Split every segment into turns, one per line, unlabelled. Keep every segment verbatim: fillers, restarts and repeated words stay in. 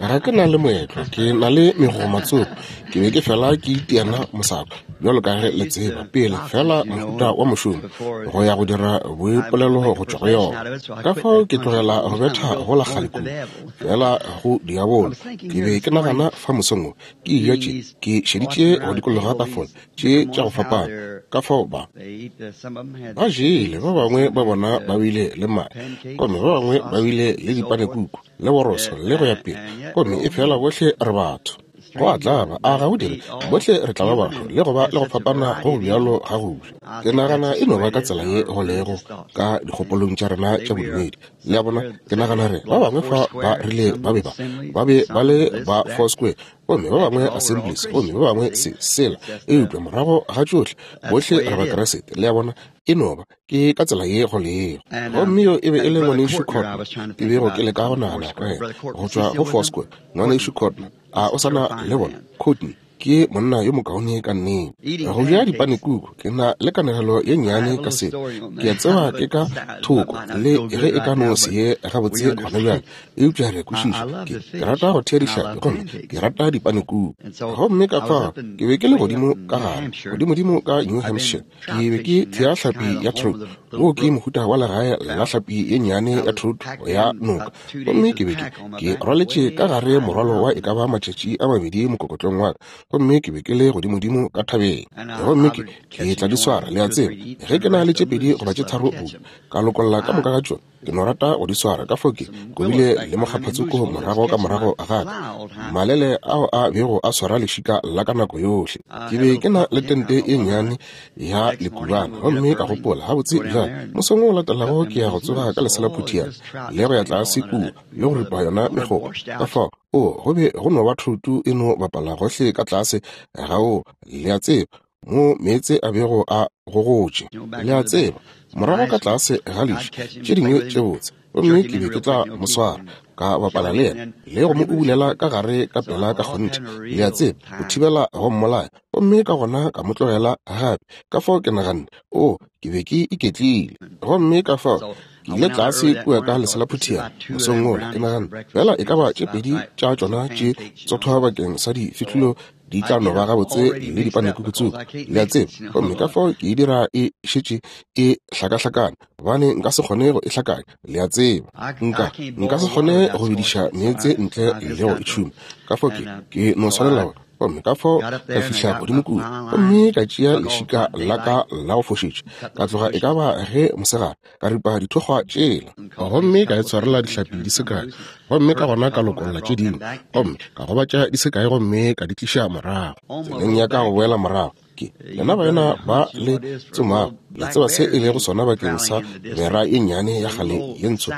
Ga ke na le moetlo, ke na le megomatsoko. Ke be ke fela ke itiana mosako, bjalo ka ge le tseba, pele fela mohuta wa mošomo, go ya go dira boipolelo go tšwa go yona. Ka fao ke tlogela go betha go la kgale kudu, fela go diabolo. Ke be ke nagana fa mosong wo, ke eja tše, ke šeditše go dikologa tafola tše tša go fapana. Ka fao ba ba jele, ba bangwe ba bona ba bile le mae, gomme ba bangwe ba bile le dipanekuku le boroso le go ya pele, gomme e fela bohle re batho. Go a tlaba, a ga o dire? Bohle re tla ba batho le go ba le go fapana go bjalo ga go ja. Ke nagana e no ba ka tsela ye go lego ka dikgopolong tša rena tša bodumedi. Le a bona? Ke nagana re ba bangwe fa ba rile ba be ba ba be ba le ba Foursquare, gomme ba bangwe Assemblies, gomme ba bangwe se sela, eupša morago ga tšohle bohle re Bakriste. Le a bona? E no ba ke ka tsela ye go lego. Gomme yo e be e le ngwanešu Courtney, ke bego ke leka go nagana ka yena go tšwa go Foursquare. Ngwanešu Courtney, a o sa na le bona? Courtney ke monna yo mokaone ka nnete. Go ja dipanekuku, ke na le kanegelo ye nnyane ka se. Ke a tseba ke ka thoko le ge e ka no se ye gabotse gona bjale, eupša re kwešiša. Ke, ke rata go thea dihlapi gomme ke rata dipanekuku. Gomme ka fao ke be ke le godimo ka gare, godimodimo ka New Hampshire. Ke be ke thea hlapi ya trout. Wo ke mohuta wa legae la hlapi ye nnyane ya trout ya noka. Gomme ke be ke ke rwaletše ka gare morwalo wa e ka ba matšatši a mabedi mokokotlong wa ka, gomme ke be ke le godimodimo ka thabeng. Gomme ke ke tla di swara, le a tseba, ge ke na le tše pedi goba tše tharo buka, ka lokolla ka moka ga tšona. Ke no rata go di swara. Ka fao ke kobile le mokgaphatsoko morago ka morago ga ka, malele ao a bego a swara lešika la ka nako yohle. Ke be ke na le tente e nnyane ya lekubana, gomme ka gopola, gabotse bjale mosong o latelago ke ya go tsoga ka leselaphutiana le go ya tlase kua le go ripa yona megopo. Ka fao o go be go no ba thoto e no bapala gohle ka tlase ga o, le a tseba, mo meetse a bego a gogotše, le a tseba, morago ka tlase ga leši, tše dingwe tše botse. Gomme ke be ke tla mo swara, ka bapala le yena le go mo ubulela ka gare ka pela ka kgonthe, le a tseba, go thibela go mmolaya. Gomme ka gona ka mo tlogela gape. Ka fao ke naganne, o, ke be ke iketlile. Gomme ka fao ke ile tlase kua ka leselaphutiana mosong wola. Ke naganne, fela e ka ba tše pedi tša tšona tše tsothwa bakeng sa difihlolo di tla no ba gabotse le dipanekuku, le a tseba. Gomme ka fao ke e dira e šetše e hlakahlakane, gobane nka se kgone go e hlakanya, le a tseba. Nka nka se kgone go bediša meetse ntle le go e tšhuma. Ka fao ke ke no swanela gore. Gomme ka fao ka fihla godimo kua, gomme ka tšea lešika la ka la go fošetša, ka tloga e ka ba ge mosegare, ka ripa dithokgwa tšela, gomme ka e tshwarela dihlapi di se kae, gomme ka gona ka lokolla tše dingwe, gomme ka gobatša di se kae, gomme ka di tliša morago. Tseleng ya ka go boela morago, ke lena baena ba le tsomago, le tseba se e lego sona bakeng sa bera ye nnyane ya kgale ye ntsho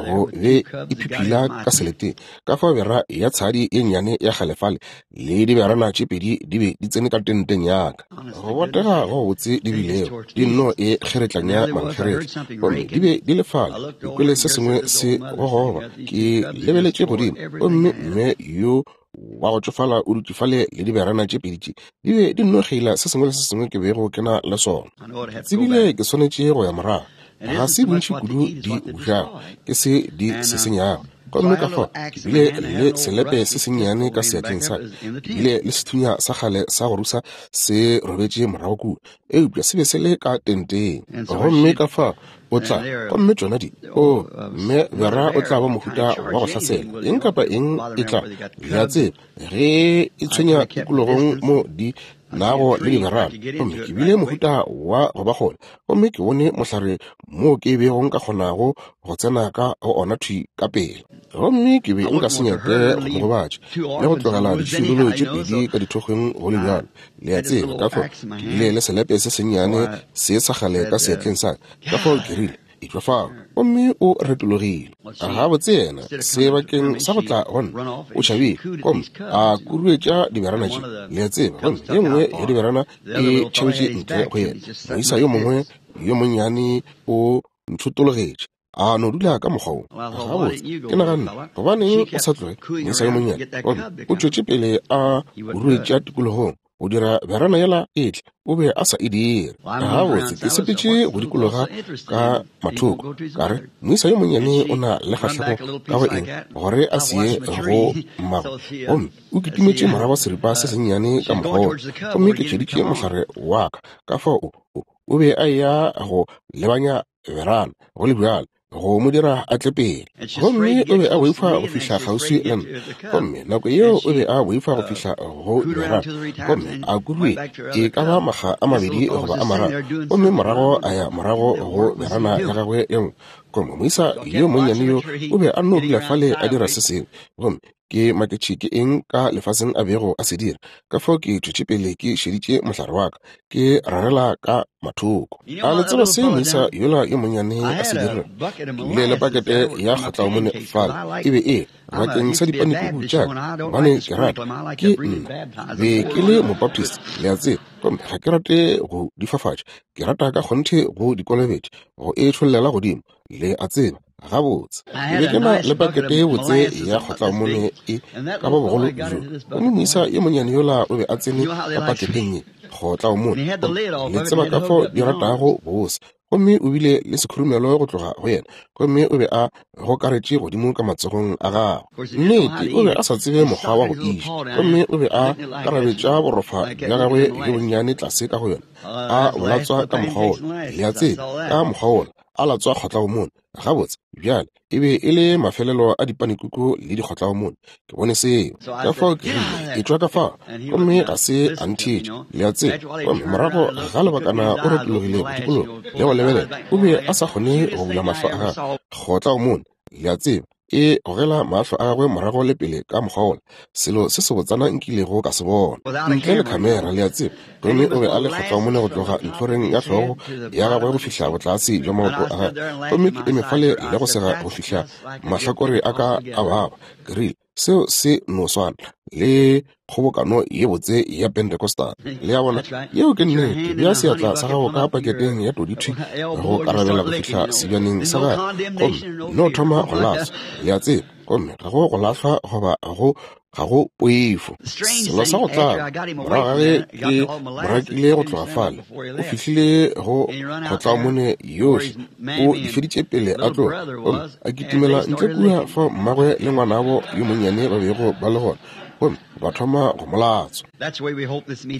go be e phiphila ka seleteng. Ka fao bera ya tshadi ye nnyane ya kgale fale le diberana tše pedi di be di tsene ka tenteng ya ka. Go botega go botse di bilego di nno e kgeretlanya mankgeretla, gomme di be di le fale. Ke kwele se sengwe se gogoba, ke lebeletše godimo, gomme mme yo wa go tšofala o dutše fale le diberana tše pedi tše di be di nno kgeila se sengwe le se sengwe ke bego ke na le sona. Ke tsebile ke swanetše go ya morago. Ga se bontši kudu di bušago, ke se di se senyago. Gomme ka fao ke bile le selepe se sennyane ka seatleng sa ka, ke bile le sethunya sa kgale sa go rusa se robetše morago kua, eupša se be se le ka tenteng. Gomme ka fao o tla, gomme tšona di, o, mme bera o tla ba mohuta wa go hlasela eng kapa eng e tla, le a tseba, ge e tshwenya tikologong mo di nago le diberana. Gomme ke bile mohuta wa go ba kgole, gomme ke bone mohlare moo ke bego nka kgonago go tsena ka go ona thwi ka pele. Gomme ke be nka se nyake go mo gobatša le go tlogela diširolo tše pedi ka dithokgweng go le bjalo, le a tseba. Ka fao ke bile le selepe se sennyane se sa kgale ka seatleng sa ka, ka fao ke rile, etšwa fao, gomme o retologile. Gabotse yena sebakeng sa go tla go nna o tšhabile, gomme a kuruetša diberana tše, le a tseba, gomme ye nngwe ya diberana e tšhabetše ntle go yena. Moisa yo mongwe yo monnyane o nthotologetše, a no dula ka mokgwa wo. Gabotse ke naganne, gobaneng o sa tloge, moisa yo monnyane? Gomme o tšwetše pele a kuruetša tikologong. Go dira berana yela e tle, o be a sa e dire. Gabotse, ke sepetše go dikologa ka mathoko, ka re, moisa yo monnyane o na le kgahlego ka go eng gore a se ye go mmagwe. Gomme o kitimetše morago seripa se sennyane ka mokgwa wola, gomme ke tšheditše mohlare wa ka. Ka fao o, o be a eya go lebanya berana, go le bjalo, go mo dira a tle pele. Gomme o be a boifa go fihla kgauswi le nna, gomme nako yeo o be a boifa go fihla go berana, gomme a kuruetše e ka ba makga a mabedi goba a mararo, gomme morago a ya morago go berana ya gagwe ye nngwe. Gomme moisa yo monnyane yo o be a nno dula fale a dira se sengwe, gomme ke maketše ke eng ka lefaseng a bego a se dira. Ka fao ke tšwetše pele ke šeditše mohlare wa ka, ke rarela ka mathoko. A le tseba se moisa yola yo monnyane a se dirilego? Ke bile le pakete ya kgotlaomone fale, e be e bakeng sa dipanekuku tša ka, gobane ke rata, ke nna be ke le Mobaptist, le a tseba, gomme ga ke rate go di fafatša, ke rata ka kgonthe go di kolobetša, go e tšhollela godimo, le a tseba. Gabotse, ke be ke na le pakete ye botse ya kgotlaomone e ka ba bogolo bjo, gomme moisa yo monnyane yola o be a tsene ka paketeng ye kgotlaomone, le tseba ka fao di ratago bose, gomme o bile le sekhurumelo go tloga go yena, gomme o be a gokaretše godimo ka matsogong a gagwe. Nnete, o be a sa tsebe mokgwa wa go iša, gomme o be a karabetša borofa bja gagwe bjo bonnyane tlase ka go yona, a bolatswa ka mokgwa wola, le a tseba, ka mokgwa wola, a latswa kgotlaomone. Gabotse, bjale e be e le mafelelo a dipanekuku le dikgotlaomone. Ke bone seo, ka fao ke rile, etšwa ka fao, gomme ga se a ntheetše, le a tseba. Gomme morago ga lebakana o retologile go dikologa le go lebelela, o be a sa kgone go bula mahlo a gagwe. Kgotlaomone, le a tseba, e gogela mahlo a gagwe morago le pele ka mokgwa wola, selo se sebotsana nkilego ka se bona ntle le khamera, le a tseba. Gomme o be a le kgotlaomone go tloga ntlhoreng ya hlogo ya gagwe go fihla botlase bja maoto a gagwe, gomme ke eme fale le go sega go fihla mahlakore a ka a baba. Ke rile, seo se no swana le kgobokano ye botse ya Pentecostal, le a bona. Yeo ke nnete. Bea seatla sa gago ka paketeng ya todithwi go karabela go fihla sebjaneng sa gagwe, gomme no thoma go latswa, le a tseba, gomme ga go go lahlwa goba go ga go poifo. Selo sa go tlaba, morago ga ge ke morakile go tloga fale, o fihlile go kgotlaomone yohle, o di feditše pele a tloga, gomme a kitimela ntle kua fao mmagwe le ngwanabo yo monnyane ba bego ba le gona, gomme ba thoma go mo latswa.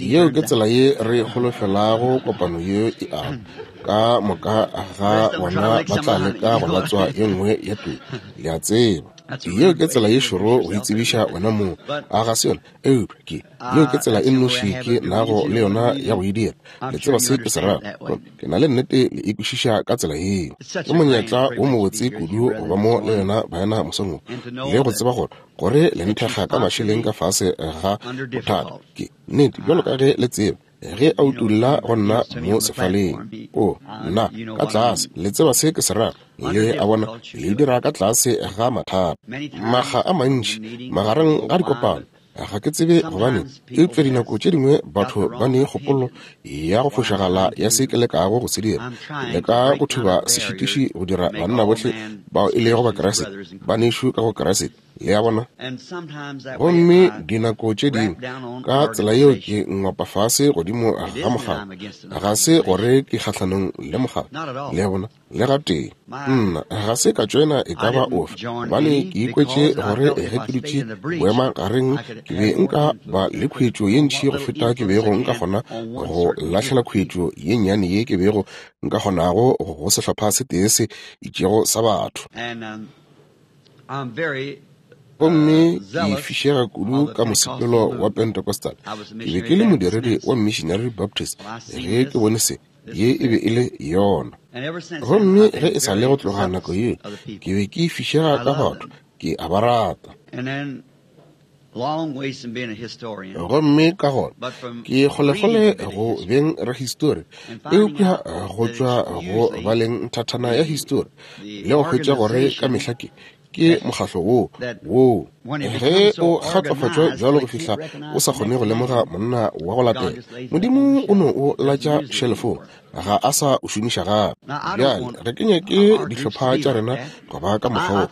Yeo ke tsela ye re holofelago kopano ye e ama. Ka moka ga bona ba tla leka go latswa ye nngwe ya todi, le a tseba. Yeo ke tsela ye šoro go itsebiša wena mong, a ga se yona? Eupša ke yeo ke tsela e nnoši ke nago le yona ya go e dira. Le tseba se ke se rago? Ke na le nnete le e kwešiša ka tsela yeo. Ke monyetla wo mobotse kudu go ba mo le yona baena mosong wo, le go tseba gore gore le nthekga ka mašeleng ka fase ga bothata. Ke nnete, bjalo ka ge le tseba, ge a utulla go nna mo sefaleng, o nna ka tlase, le tseba se ke se rago, le a bona, le dira ka tlase ga mathata. Makga a mantši magareng ga dikopano, ga ke tsebe gobane, eupša dinako tše dingwe batho ba ne kgopolo ya go fošagala ya se ke lekago go se dira. Leka go thuba sešitiši go dira banna bohle bao e lego ba Kriste, banešu ka go Kriste, le a bona. Gomme dinako tše dingwe ka tsela yeo ke ngwapa fase godimo ga mokgatlo, ga se gore ke kgahlanong le mokgatlo, le a bona, le gatee. Nna ga se ka tšoena e ka ba ofe, gobane ke ikwetše gore ge ke dutše boemagareng ke be nka ba le khuetšo ye ntši go feta ke bego nka kgona go lahlela khuetšo ye nnyane ye ke bego nka kgonago go sehlopha se tee se itšego sa batho. Gomme ke fišega kudu ka mosepelo wa Pentecostal. Ke be ke le modiredi wa Missionary Baptist ge ke bone se, ye e be e le yona. Gomme ge e sa le go tloga nako yeo, ke be ke fišega ka batho, ke a ba rata. Gomme ka gona ke kgolekgole go beng rahistori, eupša go tšwa go baleng thathana ya histori le go hwetša gore ka mehla ke Ke mokgahlo woo, woo. Ge o kgatlofatšwa bjalo go fihla o sa kgone go lemoga monna wa go latela, Modimo o no o latša šelefong, ga a sa o šomiša gape. Bjale, re ke nyake dihlopha tša rena go ba ka mokgwa wo.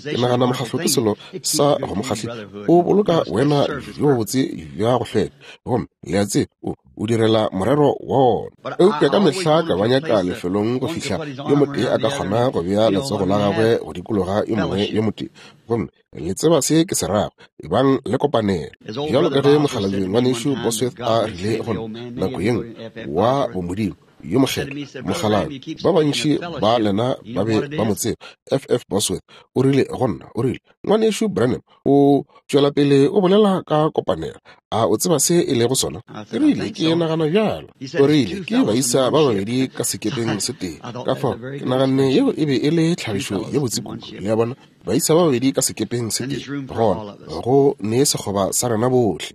Ke nagana mokgahlo ke selo sa go mokgahli. O boloka wena bjo botse bja go hlweka, gomme le a tseba o o direla morero wa wona. Eupša ka mehla ka ba nyaka lefelong go fihla yo motee a ka kgona go bea letsogo la gagwe go dikologa yo mongwe yo motee, gomme le tseba se ke se rago, ebang le kopanelo. Bjalo ka ge mokgalabje ngwanešu Bosworth a rile go nna nako ye nngwe, wa bomodimo yo mokgethwa mokgalabje, ba bantši ba lena ba be ba mo tseba, F F Bosworth, o rile go nna, o rile, ngwanešu Branham, o tšwela pele o bolela ka kopanelo, a o tseba se e lego sona? Ke rile, ke nagana bjalo. O rile, ke baisa ba babedi ka sekepeng se tee. Ka fao ke naganne yeo e be e le tlhagišo ye botse kudu, le a bona, baisa ba babedi ka sekepeng se tee, gona go ne sekgoba sa rena bohle.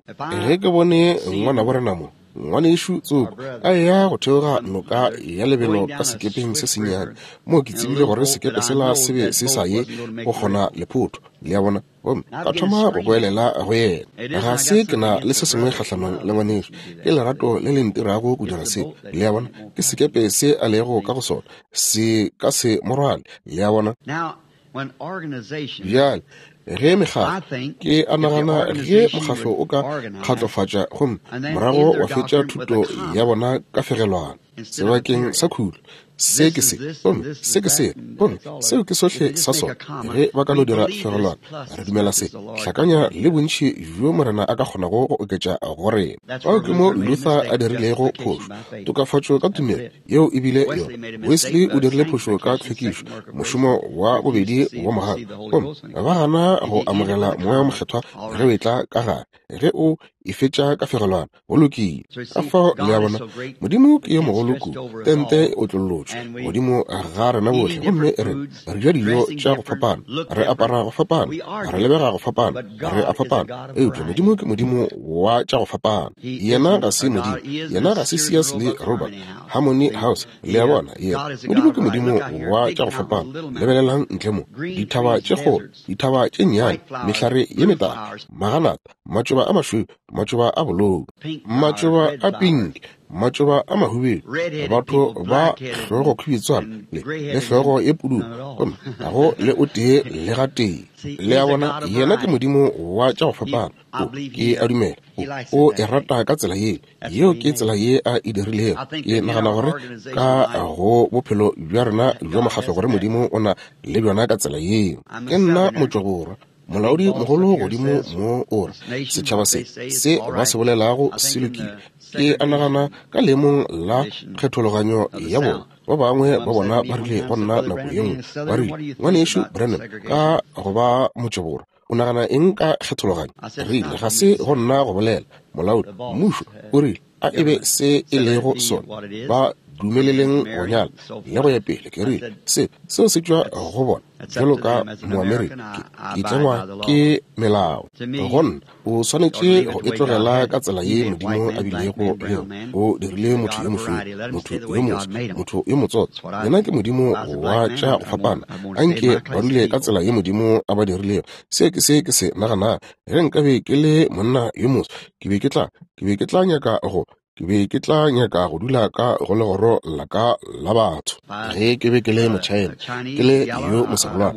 Ge ke bone ngwanabo rena mo, ngwanešu Tsoko, a eya go theoga noka ya lebelo ka sekepeng se sennyane, moo ke tsebile gore sekepe sela se be se sa ye go kgona lephotho, le a bona, gomme ka thoma go goelela go yena. Ga se ke na le se sengwe kgahlanong le ngwanešu, ke lerato le le ntirago go dira se, le a bona, ke sekepe se a lego ka go sona, se ka se mo rwale, le a bona. Bjale, ge mekgatlo, ke a nagana ge mokgatlo o ka kgatlofatša gomme morago wa fetša thuto ya bona ka fegelwana sebakeng sa khutlo, se ke se, gomme se ke se, gomme seo ke sohle sa sona. Ge ba ka no dira fegelwana, re dumela se, hlakanya le bontši bjo Morena a ka kgonago go oketša go rena. Fao ke mo Luther a dirilego phošo, tokafatšo ka tumelo, yeo e bile yona. Wesley o dirile phošo ka tlhwekišo, mošomo wa bobedi wa mogau, gomme ba gana go amogela Moya o Mokgethwa ge o etla ka gare. Ge o e fetša ka fegelwana, go lokile. Ka fao le a bona, Modimo ke yo mogolo kudu, tente e otlollotšwe godimo ga rena bohle, gomme re re ja dijo tša go fapana, re apara go fapana, re lebega go fapana, re a fapana, eupša Modimo ke Modimo wa tša go fapana. Yena ga se Modimo, yena ga se Sears le Roebuck, Harmony House, le a bona, yena Modimo ke Modimo wa tša go fapana. Lebelelang ntle mo, dithaba tše kgolo, dithaba tše nnyane, mehlare ye metala, maganata, matšoba a mašweu, matšoba a bolou, matšoba a pinki, matšoba a mahubedu, batho ba hlogo khubitswana le le hlogo ye pududu, gomme ga go le o tee le gatee. Le a bona, yena ke Modimo wa tša go fapana. O, ke a dumela, o, o e rata ka tsela ye, yeo ke tsela ye a e dirilego. Ke nagana gore ka go bophelo bja rena bja mokgatlo gore Modimo o na le bjona ka tsela yeo. Ke nna motšwaborwa, molaodi mogolo godimo mo o re setšhaba se se ba se bolelago se lokile. Ke a nagana ka leemong la kgethologanyo ya bona, ba bangwe ba bona ba rile go nna nako ye nngwe, ba rile, ngwanešu Branham, ka go ba motšwaborwa, o nagana eng ka kgethologanyo? Rile, ga se go nna go bolela, molaodi mmušo o rile a e be se e lego sona, ba dumeleleng go nyala le go ya pele. Ke rile, se seo se tšwa go bona bjalo ka Moamerika, ke tlengwa ke melao. Go nna o swanetše go e tlogela ka tsela ye Modimo a bilego le yona. O dirile motho yo mošweu, motho yo moso, motho yo motsotso, yena ke Modimo wa tša go fapana. Anke ba dule ka tsela ye Modimo a ba dirilego. Se ke se ke se naganago. Ge nkabe ke le monna yo moso, ke be ke tla ke be ke tla nyaka go ke be ke tla nyaka go dula ka go legoro la ka la batho. Ge ke be ke le Motšhaena, ke le yo moserolwana,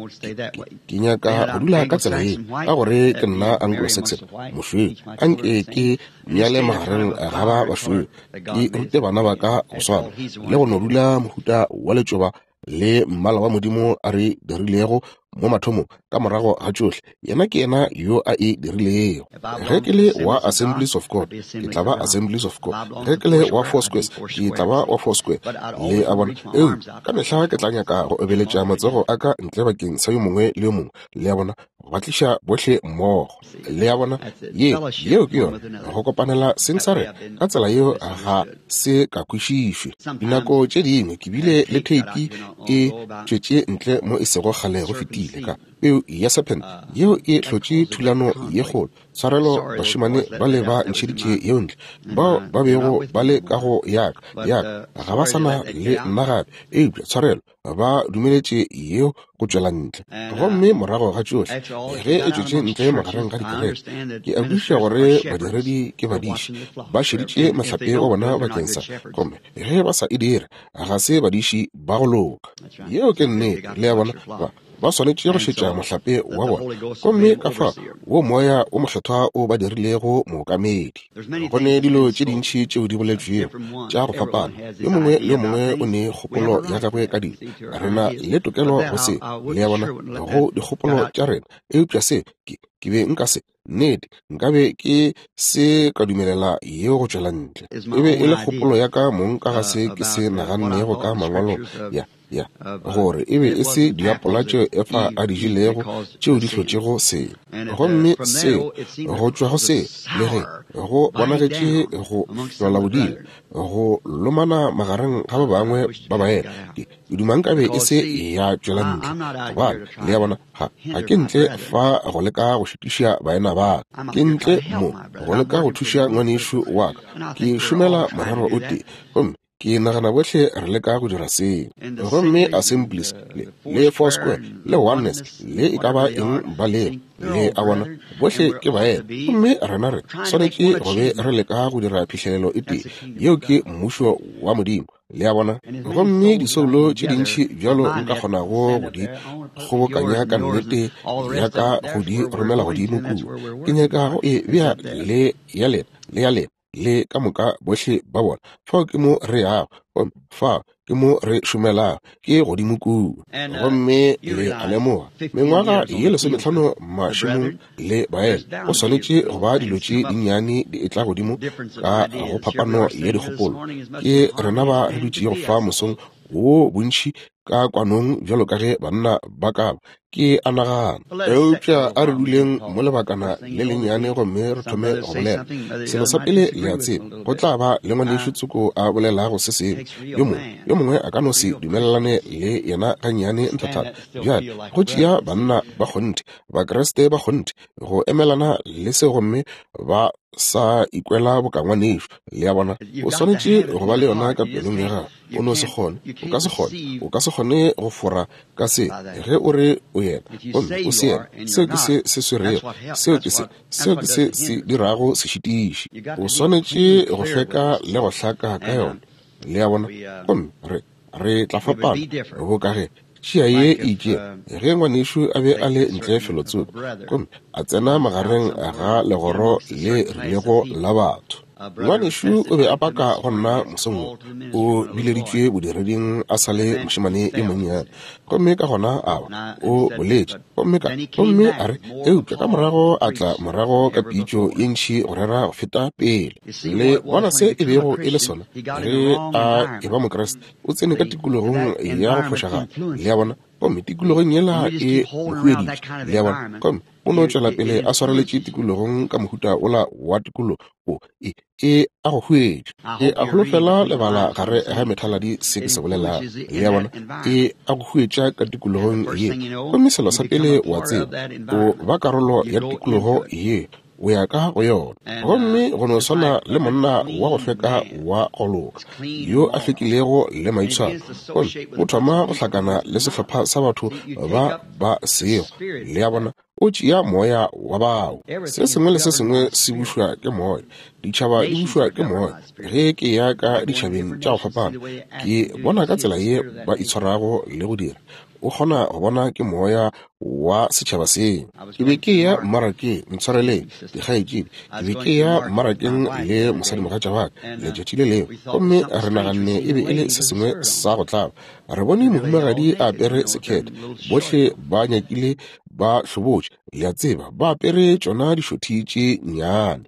ke nyaka go dula ka tsela ye, ka gore ke nna Anglo-Saxon, mošweu. Anke ke nyale magareng ga ba bašweu, ke rute bana ba ka go swana, le go no dula mohuta wa letšoba le mmala wa Modimo a re dirilego mo mathomong. Ka morago ga tšohle, yena ke yena yo a e dirilego. Ge ke le wa Assemblies of God, ke tla ba Assemblies of God. Ge ke le wa Four Squares, ke tla ba wa Four Square. Le a bona, eupša ka mehla ke tla nyaka go obeletša matsogo a ka ntle bakeng sa yo mongwe le yo mongwe, le a bona, go ba tliša bohle mmogo. Le a bona, ye yeo ke yona go kopanela seng sa rena. Ka tsela yeo ga se ka kwešišwe. Dinako tše dingwe ke bile le theipi e tšwetše ntle mo e sego kgale go fetile, ile ka peu ya serpent yeo e hlotše thulano ye kgolo. Tshwarelo bašemane ba le ba ntšheditše yeo ntle, bao ba bego ba le ka go yaka yaka ga ba sana le nna gape, eupša tshwarelo ba dumeletše yeo go tšwela ntle. Gomme morago ga tšohle ge e tšwetše ntle magareng ga dikereke, ke a kwešiša gore badiredi ke badiši ba šeditše mohlape wa bona bakeng sa, gomme ge ba sa e dire ga se badiši ba go loka. Yeo ke nnete, le a bona, ba ba swanetše go šetša mohlape wa bona. Gomme ka fa wo moya o mokgethwa o ba dirilego mookamedi. Go ne dilo tše dintši tšeo di boletšwego tša go fapana, yo mongwe le yo mongwe o ne kgopolo ya gagwe ka dilo. Re na le tokelo go se, le a bona, go dikgopolo tša rena, eupša se ke ke be nka se nnete nkabe ke se ka dumelela yeo go tšwela ntle. E be e le kgopolo ya ka mong ka ga se ke se nagannego ka mangwalo ya ya gore e be e se diapola tšeo Efa a di jelego tšeo di hlotšego se. Gomme seo go tšwa go se le ge go bonagetše go hlola bodila, go lomana magareng ga ba bangwe ba baena, ke duma nkabe e se ya tšwela ntle, gobane le a bona ga ga ke ntle fa go leka go šitiša baena ba ka, ke ntle mo go leka go thuša ngwanešu wa ka. Ke šomela morero o tee, gomme ke nagana bohle re leka go dira seo. Gomme Assemblies le, le Foursquare le Oneness le e ka ba eng ba lego, le a bona bohle ke baena, gomme rena re swanetše go be re leka go dira phihlelelo e tee, yeo ke mmušo wa Modimo, le a bona. Gomme disoulo tše dintši bjalo nka kgonago go di kgobokanya ka nnete ya ka go di romela godimo kua, ke nyaka go e bea le ya lena le ya lena le ka moka bohle ba bona. Fao ke mo re yago, gomme fao ke mo re šomelago, ke godimo kua. Gomme le a lemoga mengwaga ye lesometlhano mašemong le baena, go swanetše go ba dilo tše dinnyane di etla godimo ka go phapano ya dikgopolo. Ke rena ba re dutšego fa mosong wo bontši ka kwanong bjalo ka ge banna ba ka ba, ke a nagana. Eupša a re duleng mo lebakana le lennyane gomme re thome go bolela. Selo sa pele le a tseba, go tla ba le ngwanešu tsoko a bolelago se sengwe, yo mongwe yo mongwe a ka no se dumelelane le yena gannyane nthathana. Bjale go tšea banna ba kgonthe, Bakriste ba kgonthe, go emelana le se gomme ba sa ikwela boka ngwanešu, le a bona. O swanetše go ba le yona ka pelong ya gago. O no se kgone, o ka se kgone, o ka se kgone go fora ka se ge o re o yena gomme o se yena. Seo ke se se swerego, seo ke se seo ke se se dirago sešitiši. O swanetše go hlweka le go hlaka ka yona, le a bona. Gomme re re tla fapana boka ge tšhia ye e itšego ge ngwanešu a be a le ntle felotsoko gomme a tsena magareng ga legoro le rilego la batho. Ngwanešu o be a paka go nna mosong wo, o bileditšwe bodireding a sa le mošemane yo monnyane, gomme ka gona a ba o boletše, gomme ka gomme a re, eupša ka morago a tla morago ka pitšo ye ntši go rera go feta pele. Le bona se e bego e le sona ge a e ba Mokriste, o tsene ka tikologong ya go fošagala, le a bona, gomme tikologong yela e mo hueditše, le a bona, gomme o no tšwela pele a swareletše tikologong ka mohuta ola wa tikologo o e e a go huetša. E a holofela lebala gare ga methaladi se ke se bolelago, le a bona, e a go huetša ka tikologong ye. Gomme selo sa pele wa tseba, o ba karolo ya tikologo ye, o ya ka go yona. Gomme go no swana le monna wa go hlweka wa go loka yo a hlwekilego le maitshwaro, gomme o thoma go hlakana le sehlopha sa batho ba ba sego, le a bona, o tšea moya wa bao. Se sengwe le se sengwe se bušwa ke moya, ditšhaba di bušwa ke moya. Ge ke ya ka ditšhabeng tša go fapana, ke bona ka tsela ye ba itshwarago le go dira, o kgona go bona ke moya wa setšhaba seo. Ke be ke ya mmarakeng, ntshwareleng dikgaetšedi, ke be ke ya mmarakeng le mosadimogatša wa ka letšatši le lengwe, gomme re naganne e be e le se sengwe sa go tlaba. Re bone mohumagadi a apere sekhete, bohle ba nyakile ba hlobotše, le a tseba, ba apere tšona dišothi tše nnyane.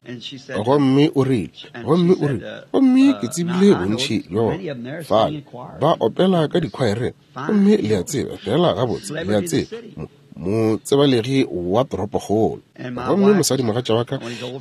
Gomme o rile, gomme o rile, gomme ke tsebile bontši bja bona fale ba opela ka dikhwaereng, gomme le a tseba fela gabotse, le a tseba, motsebalegi wa toropokgolo. Gomme mosadimogatša wa ka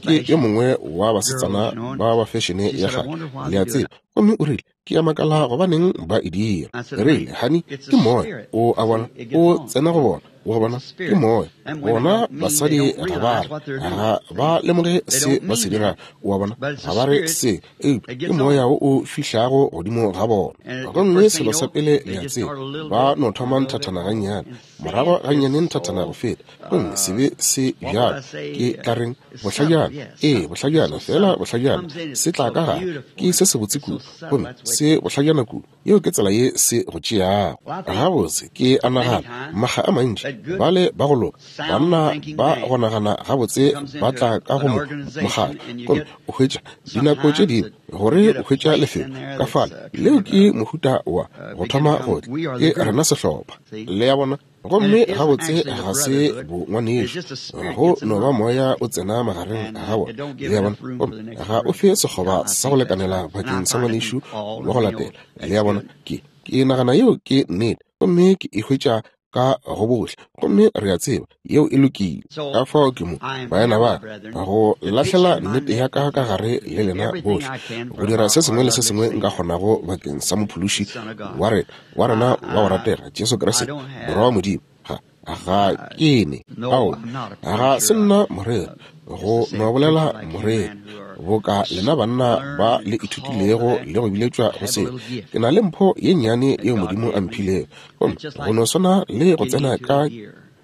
ke yo mongwe wa basetsana ba ba fešene ya kgale, le a tseba, gomme o rile, ke a makala gobaneng ba e dira. Re rile, honey, ke moya, o a bona, o tsena go bona. Wa bona, ke moya. Bona basadi ga ba re, ga ba lemoge se ba se dirago. Wa bona, ga ba re se, eupša ke moya wo o fihlago godimo ga bona. Gomme selo sa pele le a tseba, ba no thoma nthathana gannyane, morago gannyane nthathana go feta, gomme sebe se bjalo, ke tla reng bohlajana, ee, bohlajana, fela bohlajana, se tla ka gare, ke se sebotse kudu, gomme se bohlajana kudu. Yeo ke tsela ye se go tšeago. Gabotse, ke a nagana, makga a mantši, bale ba go loka, banna ba go nagana gabotse ba tla ka go mokgatlo, gomme o hwetša dinako tše dingwe gore o hwetša lefelo ka fale. Leo ke mohuta wa go thoma go tla, ke rena sehlopha. Le a bona? Gomme gabotse ga se bongwanešu, go no ba moya o tsena magareng ga bona. Le a bona? Gomme ga o fe sekgoba sa go lekanela bakeng sa ngwanešu wa go latela. Le a bona? Ke ke nagana yeo ke nnete, gomme ke e hwetša ka go bohle, gomme re a tseba yeo e lokile. Ka fao ke mo, baena ba, go lahlela nnete ya ka ka gare le lena bohle, go dira se sengwe le se sengwe nka kgonago bakeng sa mophološi wa rena, wa rena wa go ratega, Jesu Kriste, Morwa wa Modimo. Ga ga ke ne, ao, ga se nna moreri, go no bolela moreri, boka lena banna ba le ithutilego le go biletšwa go se. Ke na le mpho ye nnyane yeo Modimo a mphilego, gomme go no swana le go tsena ka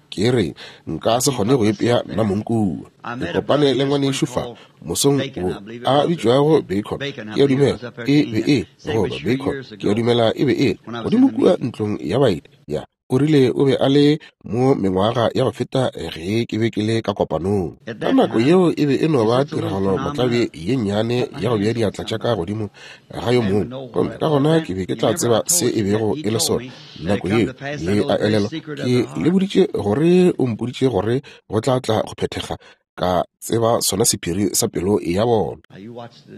ke re nka se kgone go ipea nna mong kua. Ke kopane le ngwanešu fa mosong wo a bitšwago Bacon, ke a dumela e be e goba Bacon, ke a dumela e be e godimo kua ntlong ya baeti ya. O rile o be a le mo mengwaga ya go feta ge ke be ke le ka kopanong. Ka nako yeo e be e no ba tiragalo motlabe ye nnyane ya go bea diatla tša ka godimo ga yo mongwe, gomme ka gona ke be ke tla tseba se e bego e le sona. Nako yeo le a elelwa, ke le boditše gore o mpoditše gore go tla tla go phethega, ka tseba sona sephiri sa pelo ya bona.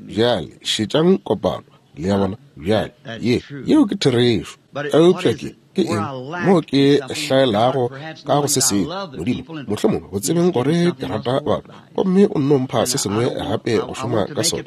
Bjale šetšang kopano. Le a bona? Bjale ye yeo ke therešo. Eupša ke ke eng mo ke hlaelago ka go se sengwe? Modimo, mohlomongwe go tsebeng gore ke rata batho, gomme o nno mpha se sengwe gape go šoma ka sona.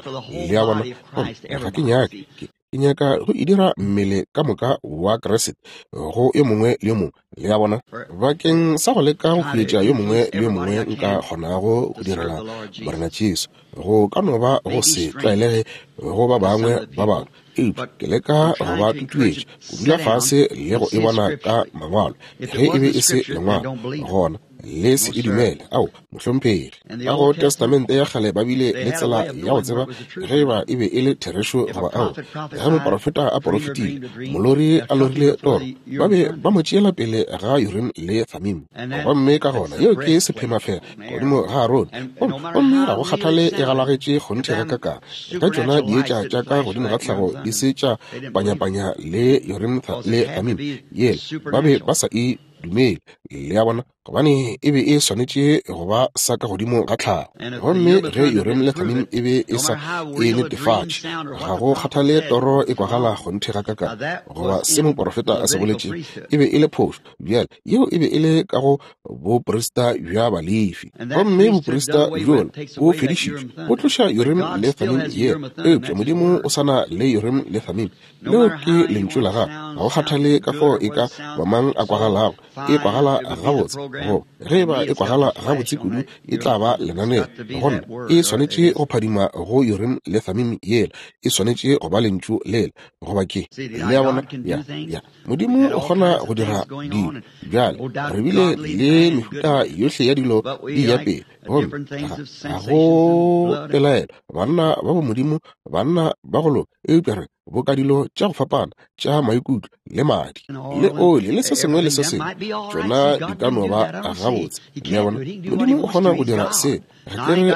Le a bona? Gomme ga ke nyake, ke ke nyaka go e dira mmele ka moka wa Kriste go yo mongwe le yo mongwe. Le a bona? Bakeng sa go leka go huetša yo mongwe le yo mongwe nka kgonago go direla Morena Jesu, go ka no ba go se tlwaelege go ba bangwe ba batho, eupša ke leka go ba tutuetša go dula fase le go e bona ka mangwalo. Ge e be e se lengwalo, gona le se e dumele. Ao, mohlomphegi, ka go Testamente ya kgale ba bile le tsela ya go tseba ge eba e be e le therešo goba ao. Ge moprofeta a porofetile, molori a lorile toro, ba be ba mo tšeela pele ga Urim le Thummim. Gomme ka gona yeo ke sephemafela godimo ga Arone, gomme ga go kgathale e galagetše kgonthe ga kakang, ge tšona dietša tša ka godimo ga tlhago di se tša panyapanya le Urim le Thummim yela, ba be ba sa e dumele. Le a bona? Gobane e be e swanetše go ba sa ka godimo ga tlhago. Gomme ge Urim le Thummim e be e sa e netefatše, ga go kgathale toro e kwagala kgonthe ga kakang goba se moprofeta a se boletšego, e be e le phošo. Bjale yeo e be e le ka go boprista bja Balefi, gomme boprista bjola bo fedišitšwe, bo tloša Urim le Thummim yela. Eupša Modimo o sa na le Urim le Thummim. Leo ke lentšu la gagwe. Ga go kgathale ka fao e ka ba mang a kwagalago, e kwagala gabotse, go ge eba e kwagala gabotse kudu, e tla ba lenaneo. Gona e swanetše go phadima go Urim le Thummim yela, e swanetše go ba lentšu lela, goba ke. Le a bona? Ya, ya. Modimo o kgona go dira dilo. Bjale re bile le mehuta yohle ya dilo di ya pele, gomme ga go pelaelo banna ba bo Modimo, banna ba go loka, eupša re boka dilo tša go fapana tša maikutlo le madi le oli le se sengwe le se sengwe, tšona di ka no ba gabotse. Le a bona? Modimo o kgona go dira se. Ga ke re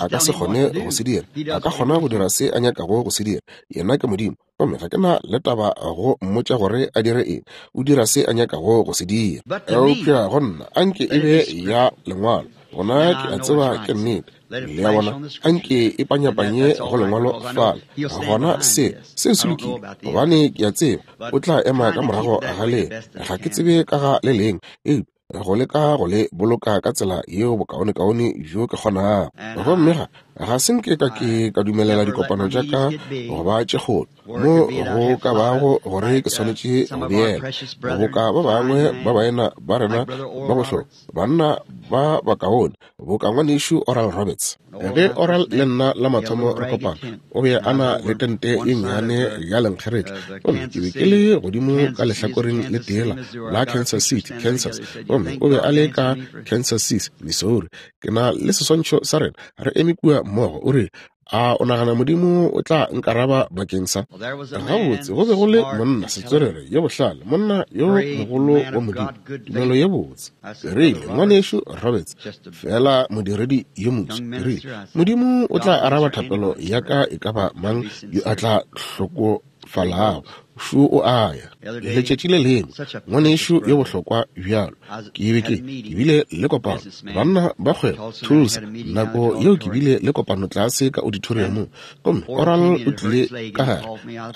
a ka se kgone go se dira, a ka kgona go dira se a nyakago go se dira. Yena ke Modimo, gomme ga ke na le taba go mmotša gore a dire eng. O dira se a nyakago go se dira. Eupša go nna anke e be ya lengwalo, gona ke a tseba ke nnete. Le a bona? Anke e panyapanye go lengwalo fale, gona se se se lokile, gobane ke a tseba o tla ema ka morago ga le. Ga ke tsebe ka ga le leng, eupša go leka go le boloka ka tsela yeo bokaonekaone bjo ke kgonago. Gomme ga Ga se nke ka ke ka dumelela dikopano tša ka go ba tše kgolo mo go ka bago gore ke swanetše go beela boka ba bangwe ba baena ba rena ba bohlokwa, banna ba bakaone boka ngwanešu Oral Roberts. Ge Oral le nna la mathomo re kopana, o be a na le tente ye nnyane ya lenkgeretla, gomme ke be ke le godimo ka lehlakoreng le tee la Kansas City, Kansas, gomme o be a le ka Kansas City, Missouri. Ke na le seswantšho sa rena re eme kua mmogo. O rile, a o nagana Modimo o tla nkaraba bakeng sa? Gabotse, go be go le monna setswerere yo bohlale, monna yo mogolo wa Modimo, tumelo ye botse. Ke rile, ngwanešu Roberts, fela modiredi yo moswa. Ke rile, Modimo o tla araba thapelo ya ka e ka ba mang yo a tla hlokofalago. Šo o a ya. Letšatši le lengwe, ngwanešu yo bohlokwa bjalo, ke be ke ke bile le kopano, banna ba kgwebo Tulsa, nako yeo ke bile le kopano tlase ka auditoriumong, gomme Oral o tlile ka gare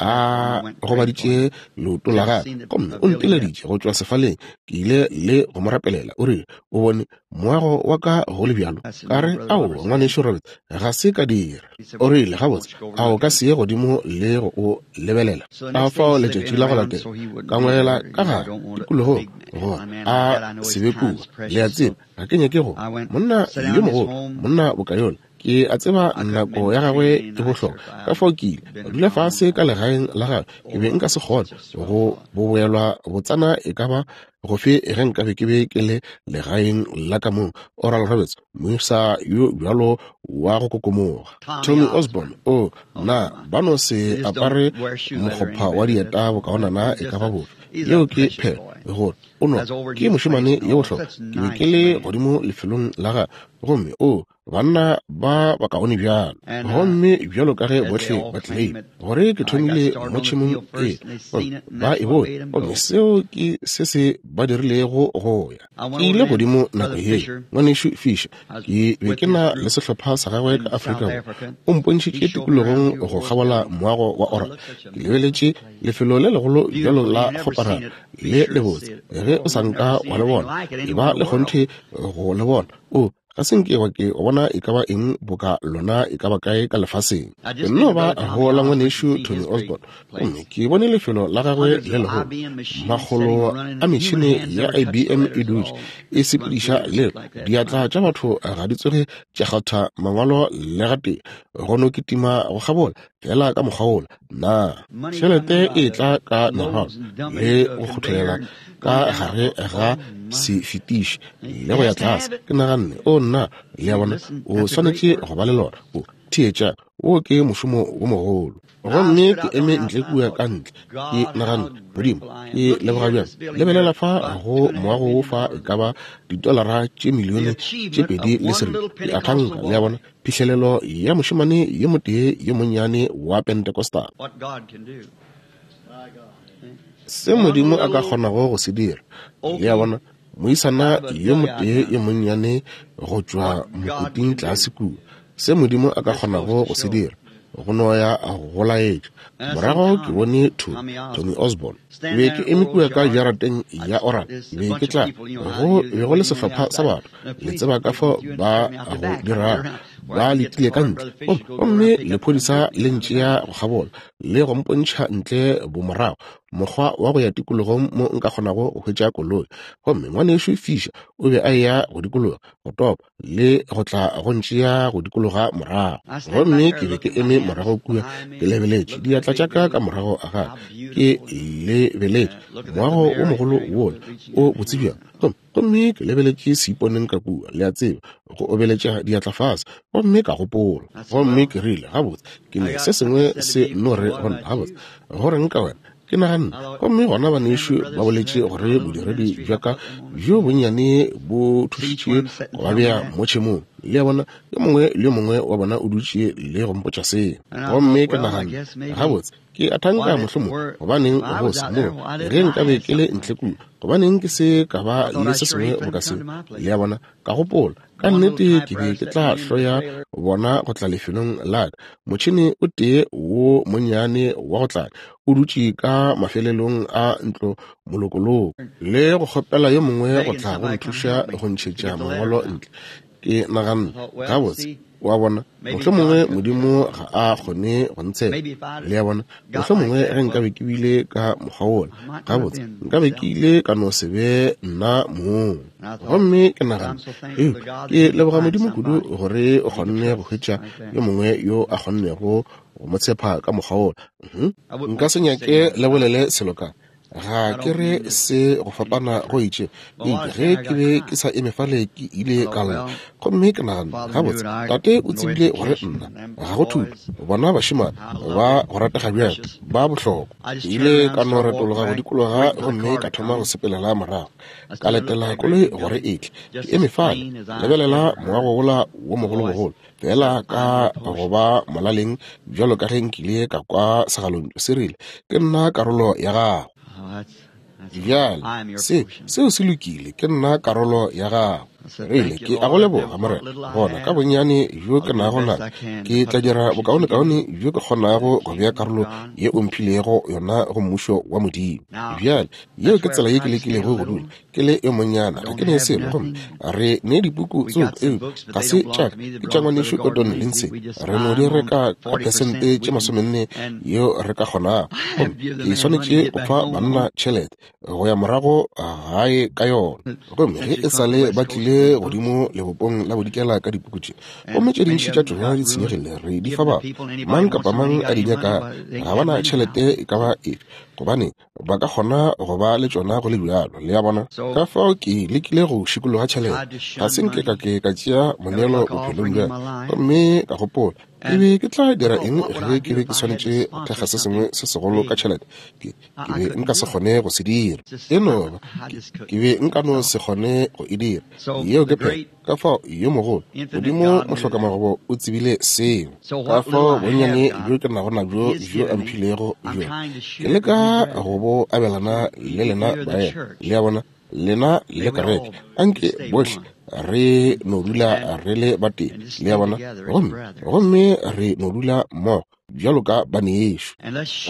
a gobaditše leoto la gagwe, gomme o nteleditše go tšwa sefaleng. Ke ile le go mo rapelela. O rile, o bone moago wa ka go le bjalo? Ka re, ao, ngwanešu Roberts, ga se ka dira. O rile, gabotse, a o ka se ye godimo le go o lebelela? Ka fao letšatši la go latela ka ngwela ka gare tikologong gore a se be kua. Le a tseba, ga ke nyake go monna yo mogolo, monna bokayola, ke a tseba nako ya gagwe e bohlokwa. Ka fao ke ile ka dula fase ka legaeng la gagwe. Ke be nka se kgone go boboelwa botsana e ka ba gofe ge nkabe ke be ke le legaeng la ka mong. Oral Roberts, moisa yo bjalo wa go kokomoga. Tommy Osborne, o na ba no se apare mokgopha wa dieta bokaonana e ka ba bofe. Yeo ke phelo gore o no ke mošemane yo bohlokwa. Ke be ke le godimo lefelong la gagwe, gomme o banna ba bakaone bjalo, gomme bjalo ka ge bohle ba tlile gore ke thomile mo tšhemong e, ba e bone, gomme seo ke se se ba dirilego go ya. Ke ile godimo nako ye, ngwanešu Fisher, ke be ke na le sehlopha sa gagwe ka Afrika Borwa. O mpontšhitše tikologong go kgabola moago wa Oral. Ke lebeletše lefelo le legolo bjalo la kgoparara le lebotse. Ge o sa nka wa le bona, e ba le kgonthe go le bona. O ga se nke wa ke bona e ka ba eng boka lona e ka ba kae ka lefaseng. Ke nno ba go la ngwanešu Tommy Osborne, gomme ke bone lefelo la gagwe le legolo, makgolo a metšhene ya I B M e dutše e sepediša leo. Diatla tša batho ga di tsoge tša kgatha mangwalo le gatee, go no kitima go kgabola fela ka mokgwa wola. Na tšhelete e tla ka merwalo le go kgotholela ka gare ga sefetiši le go ya tlase. Ke naganne, o nna, le a bona, o swanetše go ba le lona. O theetša, wo ke mošomo wo mogolo. Gomme ke eme ntle kua ka ntle, ke naganne, Modimo, ke leboga bjang. Lebelela fa go moago wo fa e ka ba ditolara tše milione tše pedi le seripa. Ke a thanka, le a bona, phihlelelo ya mošemane yo motee yo monnyane wa Pentecostal. Se Modimo a ka kgonago go se dira. Le a bona, moisana yo motee yo monnyane go tšwa mokoting tlase kua. Se Modimo a ka kgonago go se dira, go no ya go laetša. Morago ke bone Tommy Osborne. Ke be ke eme kua ka jarateng ya Oral. Ke be ke tla go be go le sehlopha sa batho, le tseba ka fao ba go dirago, ba letile ka ntle, gomme lephodisa le ntšea go kgabola le go mpontšha ntle bomorago mokgwa wa go ya tikologong mo nka kgonago go hwetša koloi. Gomme ngwanešu Fisher o be a eya go dikologa go topa le go tla go ntšea go dikologa morago. Gomme ke be ke eme morago kua ke lebeletše diatla tša ka ka morago ga gagwe, ke lebeletše moago o mogolo wola o botse bjang. Gomme ke lebeletše seiponeng ka kua, le a tseba, go obeletša diatla fase, gomme ka gopola. Gomme ke rile, gabotse, ke ne se sengwe se no re go nna, gabotse, go reng ka wena? Ke naganne, gomme gona banešu ba boletše gore bodiredi bja ka bjo bonnyane bo thušitše go ba bea mo tšhemong. Le a bona, yo mongwe le yo mongwe wa bona o dutše le go mpotša seo. Gomme ke naganne, gabotse, ke a thanka mohlomongwe, gobaneng go se mo ge nkabe ke le ntle kua, gobaneng ke se ka ba le se sengwe boka seo. Le a bona, ka gopola, ka nnete ke be ke tla hloya bona go tla lefelong la ka. Motšhene o tee wo monnyane wa go tlala o dutše ka mafelelong a ntlo molokoloko, le go kgopela yo mongwe go tla go nthuša go ntšhetša mangwalo ntle. Ke naganne, gabotse, Wa bona, mohlomongwe Modimo ga a kgone go ntshepa. Le a bona, mohlomongwe ge nkabe ke bile ka mokgwa wola, gabotse nkabe ke ile ka no se be nna mong. Gomme ke nagana, eupša ke leboga Modimo kudu gore o kgonne go hwetša yo mongwe yo a kgonnego go mo tshepa ka mokgwa wola. Nka se nyake le bolele selo ka ga ke re se go fapana go itše. Eupša ge ke be ke sa eme fale ke ile ka lla, gomme ke nagana, gabotse tate o tsebile gore nna ga go thuto, bona bašemane ba go ratega bjang, ba bohlokwa. Ke ile ka no retologa go dikologa gomme ka thoma go sepelela morago, ka letela koloi gore e tle. Ke eme fale, lebelela moago wola wo mogologolo, fela ka go ba molaleng bjalo ka ge nkile ka kwa segalontšu se rile, ke nna karolo ya gago. Bjale, se, seo se lokile, ke nna karolo ya gago. Rile, ke a go leboga, Morena. Gona ka bonnyane bjo ke nago na, ke tla dira bokaonekaone bjo ke kgonago go bea karolo ye o mphilego yona go mmušo wa Modimo. Bjale, yeo ke tsela ye ke lekilego go dula ke le yo monnyana, ga ke ne selo, gomme re ne dipuku tsoko, eupša ga se tša ka, ke tša ngwanešu Gordon Lindsay. Re no di reka ka phesente tše masomenne yeo re ka kgonago, gomme ke swanetše go fa banna tšhelete go ya morago gae ka yona. Gomme ge e sa le ba tlile godimo lebopong la bodikela ka dipuku tše, gomme tše dintši tša tšona di senyegile, re di fa batho, mang kapa mang a di nyaka, ga ba na tšhelete e ka ba efe, gobane ba ka kgona go ba le tšona go le bjalo. Le a bona? Ka fao ke lekile go šikologa tšhelete, ga se nke ka ke ka tšea moneelo bophelong bja ka, gomme ka gopola, ke be ke tla dira eng ge ke be ke swanetše go thekga se sengwe se segolo ka tšhelete? Ke, ke be nka se kgone go se dira. E no ba, ke, ke be nka no se kgone go e dira. Yeo ke phela. Ka fao yo mogolo, Modimo mohlokamagobo o tsebile seo. Ka fao bonnyane bjo ke nago nabjo bjo a mphilego bjona, ke leka go bo abelana le lena baena. Le a bona, lena le kereke, anke bohle re no dula re le batee. Le a bona, gomme gomme re no dula mmogo bjalo ka banešo,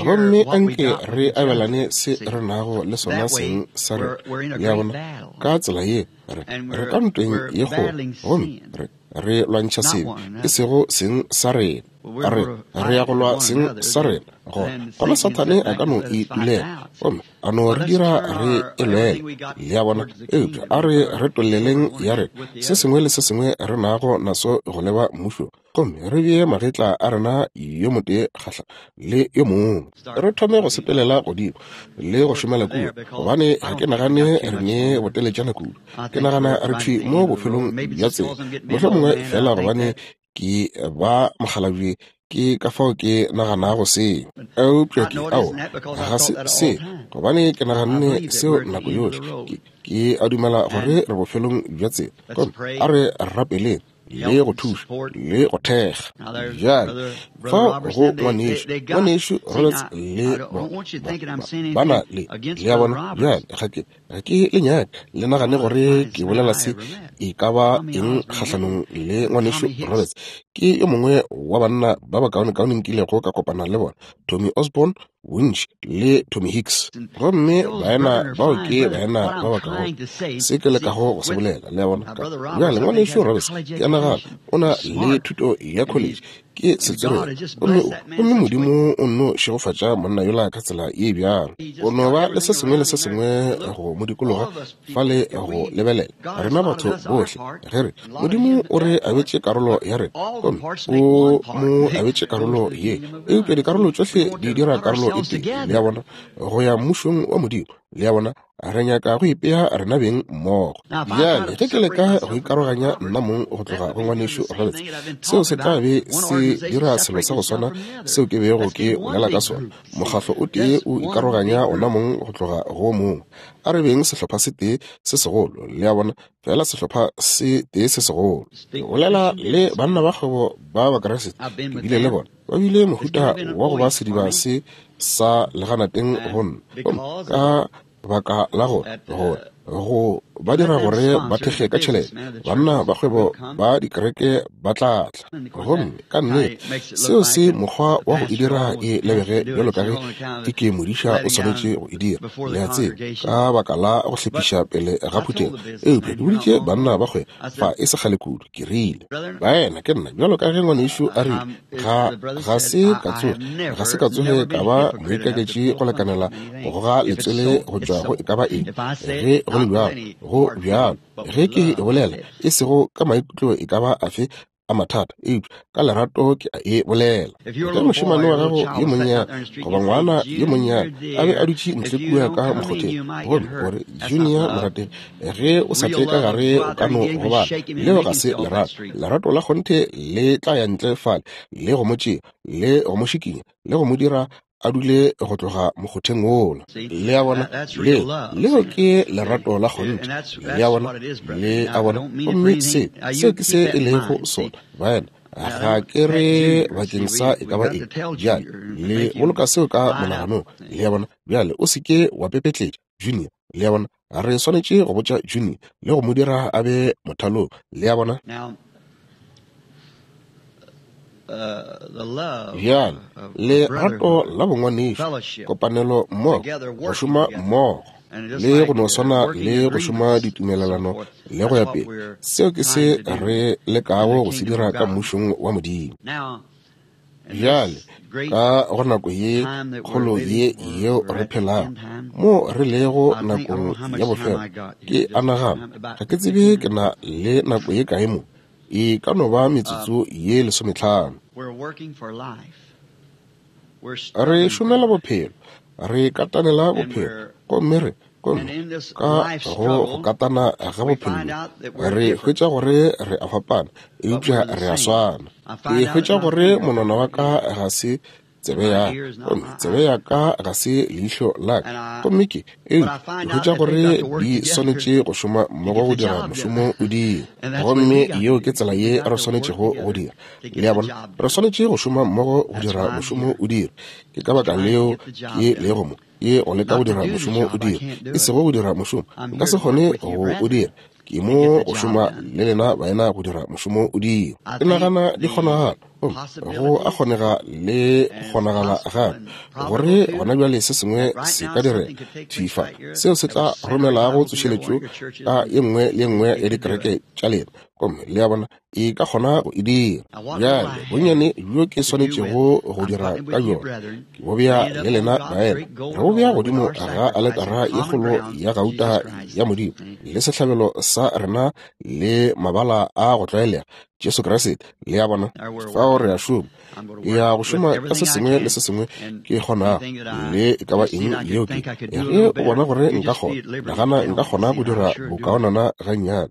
gomme anke re abelane se re nago le sona seng sa rena. Le a bona, ka tsela ye re re ka ntweng ye kgolo, gomme re re lwantšha sebe, e sego seng sa rena. Re re ya go lwa seng sa rena. Gona gona Sathane a ka no itulela gomme a no re dira re e lwele. Le a bona, eupša a re retolleleng ya rena se sengwe le se sengwe re nago naso go leba mmušong, gomme re bee magetla a rena yo motee kgahla le yo mongwe, re thome go sepelela godimo le go šomela kua, gobane ga ke nagane re ne boteletšana kudu. Ke nagana re thwi mo bofelong bja tsela, mohlomongwe fela gobane ke ba mokgalabje, ke ka fao ke naganago seo. Eupša ke ao ga se se, gobane ke naganne seo nako yohle. Ke, ke a dumela gore re bofelong bja tsela, gomme a re rapeleng le go thuša le go thekga. Bjale fao go ngwanešu, ngwanešu Roberts le ba na le, le a bona. Bjale ga ke ga ke le nyake le nagane gore ke bolela se e ka ba eng kgahlanong le ngwanešu Roberts. Ke yo mongwe wa banna ba bakaonekaone nkilego ka kopana le bona, Tommy Osborne bontši le Tommy Hicks, gomme baena bao ke baena ba bakaone. Se ke lekago go se bolela, le a bona. Bjale ngwanešu Roberts, ke a nagana o na le thuto ya college, ke setswerere, gomme gomme Modimo o nno šegofatša monna yola ka tsela ye bjalo. O no ba le se sengwe le se sengwe go mo dikologa fale go lebelela rena batho bohle. Ge re Modimo o re abetše karolo ya rena, gomme o mo abetše karolo ye, eupša dikarolo tšohle di dira karolo e tee. Le a bona, go ya mmušong wa Modimo. Le a bona, re nyaka go ipea rena beng mmogo. Bjale ge ke leka go ikaroganya nna mong go tloga go ngwanešu Roberts, seo se tla be se dira selo sa go swana seo ke bego ke bolela ka sona. Mokgahlo o tee o ikaroganya ona mong go tloga go mongwe. A re beng sehlopha se tee se segolo. Le a bona, fela sehlopha se tee se segolo. Ke bolela le banna ba kgwebo ba Bakriste, ke bile le bona, ba bile mohuta wa go ba sediba se sa leganateng go nna, gomme ka baka la gore gore Go ba dira gore ba thekge ka tšhelete, banna ba kgwebo ba dikereke ba tla tla. Gomme ka nnete seo se mokgwa wa go e dira e lebege bjalo ka ge e ke modiša o swanetše go e dira, le a tseba, ka baka la go hlephiša pele ga phuthego. Eupša ke boditše banna ba kgwebo fa e se kgale kudu, ke rile, baena, ke nna bjalo ka ge ngwanešu a rile, ga ga se ka tsoge ga se ka tsoge ka ba moikaketši go lekanela go goga letswele go tšwa go e ka ba eng. Ge go le bjalo, go bjalo. Ge ke e bolela, e sego ka maikutlo e ka ba afe a mathata, eupša ka lerato ke a e bolela. Ge mošemane wa gago yo monnyane goba ngwana yo monnyane a be a dutše ntle kua ka mokgotheng, gomme gore Junior morategi, ge o sa tle ka gare o ka no gobala, leo ga se lerato. Lerato la kgonthe le tla ya ntle fale le go mo tšea, le go mo šikinya, le go mo dira a dule go tloga mokgotheng wola. Le a bona, leo leo ke lerato la kgonthe. Le a bona, le a bona. Gomme se seo ke se e lego sona, baena. Ga ke re bakeng sa e ka ba eng. Bjale le boloka seo ka monaganong. Le a bona, bjale o se ke wa pepetletša Junior. Le a bona, re swanetše go botša Junior le go mo dira a be mothalong. Le a bona. Bjale lerato la bongwanešu, kopanelo mmogo, go šoma mmogo, le go no swana le go šoma ditumelelano le go ya pele, seo ke se re lekago go se dira ka mmušong wa Modimo. Bjale ka go nako ye kgolo ye yeo re phelago mo re lego nakong ya bofelo, ke a nagana ga ke tsebe ke na le nako ye kae mo, e ka no ba metsotso ye lesometlhano. Re šomela bophelo, re katanela bophelo, gomme re gomme ka go go katana ga bophelo re hwetša gore re a fapana, eupša re a swana. Ke hwetša gore monwana wa ka ga se tsebe ya ka, gomme tsebe ya ka ga se leihlo la ka, gomme ke eupša ke hwetša gore di swanetše go šoma mmogo go dira mošomo o dira. Gomme yeo ke tsela ye re swanetšego go dira. Le a bona, re swanetše go šoma mmogo go dira mošomo o dira. Ke ka baka leo ke lego mo, ke go leka go dira mošomo o dira, e sego go dira mošomo nka se kgone go o dira. Ke mo go šoma le lena baena go dira mošomo o dira. Ke nagana di kgonagala, go a kgonega le kgonagala gape gore gona bjale se sengwe se ka direga thifa seo se tla romelago tsošeletšo ka ye nngwe le ye nngwe ya dikereke tša lena, gomme le a bona e ka kgona go e dira. Bjale bonnyane bjo ke swanetšego go dira ka bjona ke bo bea le lena baena, re bo bea godimo ga aletara ye kgolo ya gauta ya Modimo le sehlabelo sa rena le mabala a go tlwaelega, Jesu Kriste. Le a bona, fao re a šoma. Ke ya go šoma ka se sengwe le se sengwe ke kgonago, le e ka ba eng yeo ke. Ge o bona gore nka kgona, nagana nka kgona go dira bokaonana gannyane,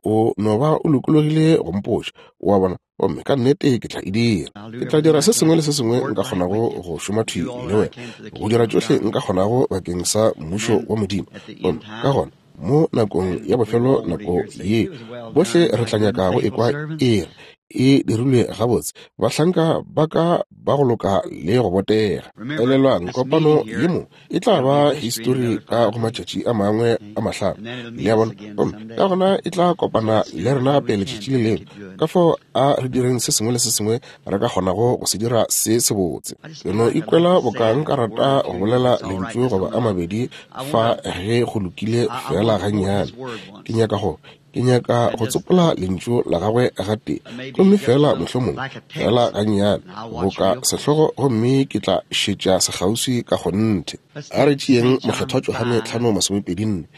o no ba o lokologile go mpotša, o a bona, gomme ka nnete ke tla e dira. Ke tla dira se sengwe le se sengwe nka kgonago go šoma thwi le wena, go dira tšohle nka kgonago bakeng sa mmušo wa Modimo. Gomme ka gona mo nakong ya bofelo, nako ye bohle re tla nyaka go ekwa e re e dirilwe gabotse, bahlanka ba ka ba go loka le go botega. Elelwang, kopano ye mo e tla ba histori ka go matšatši a mangwe a mahlano. Le a bona, gomme ka gona e tla kopana le rena gape letšatši le lengwe. Ka fao a re direng se sengwe le se sengwe re ka kgonago go se dira se sebotse. Ke no ikwela boka nka rata go bolela lentšu goba a mabedi fa ge go lokile fela gannyane. Ke nyaka go ke nyaka go tsopola lentšu la gagwe gatee, gomme fela mohlomongwe fela gannyane boka sehlogo, gomme ke tla šetša sekgauswi ka kgonthe. A re tšeeng Mokgethwa Johane tlhano masomepedi nne.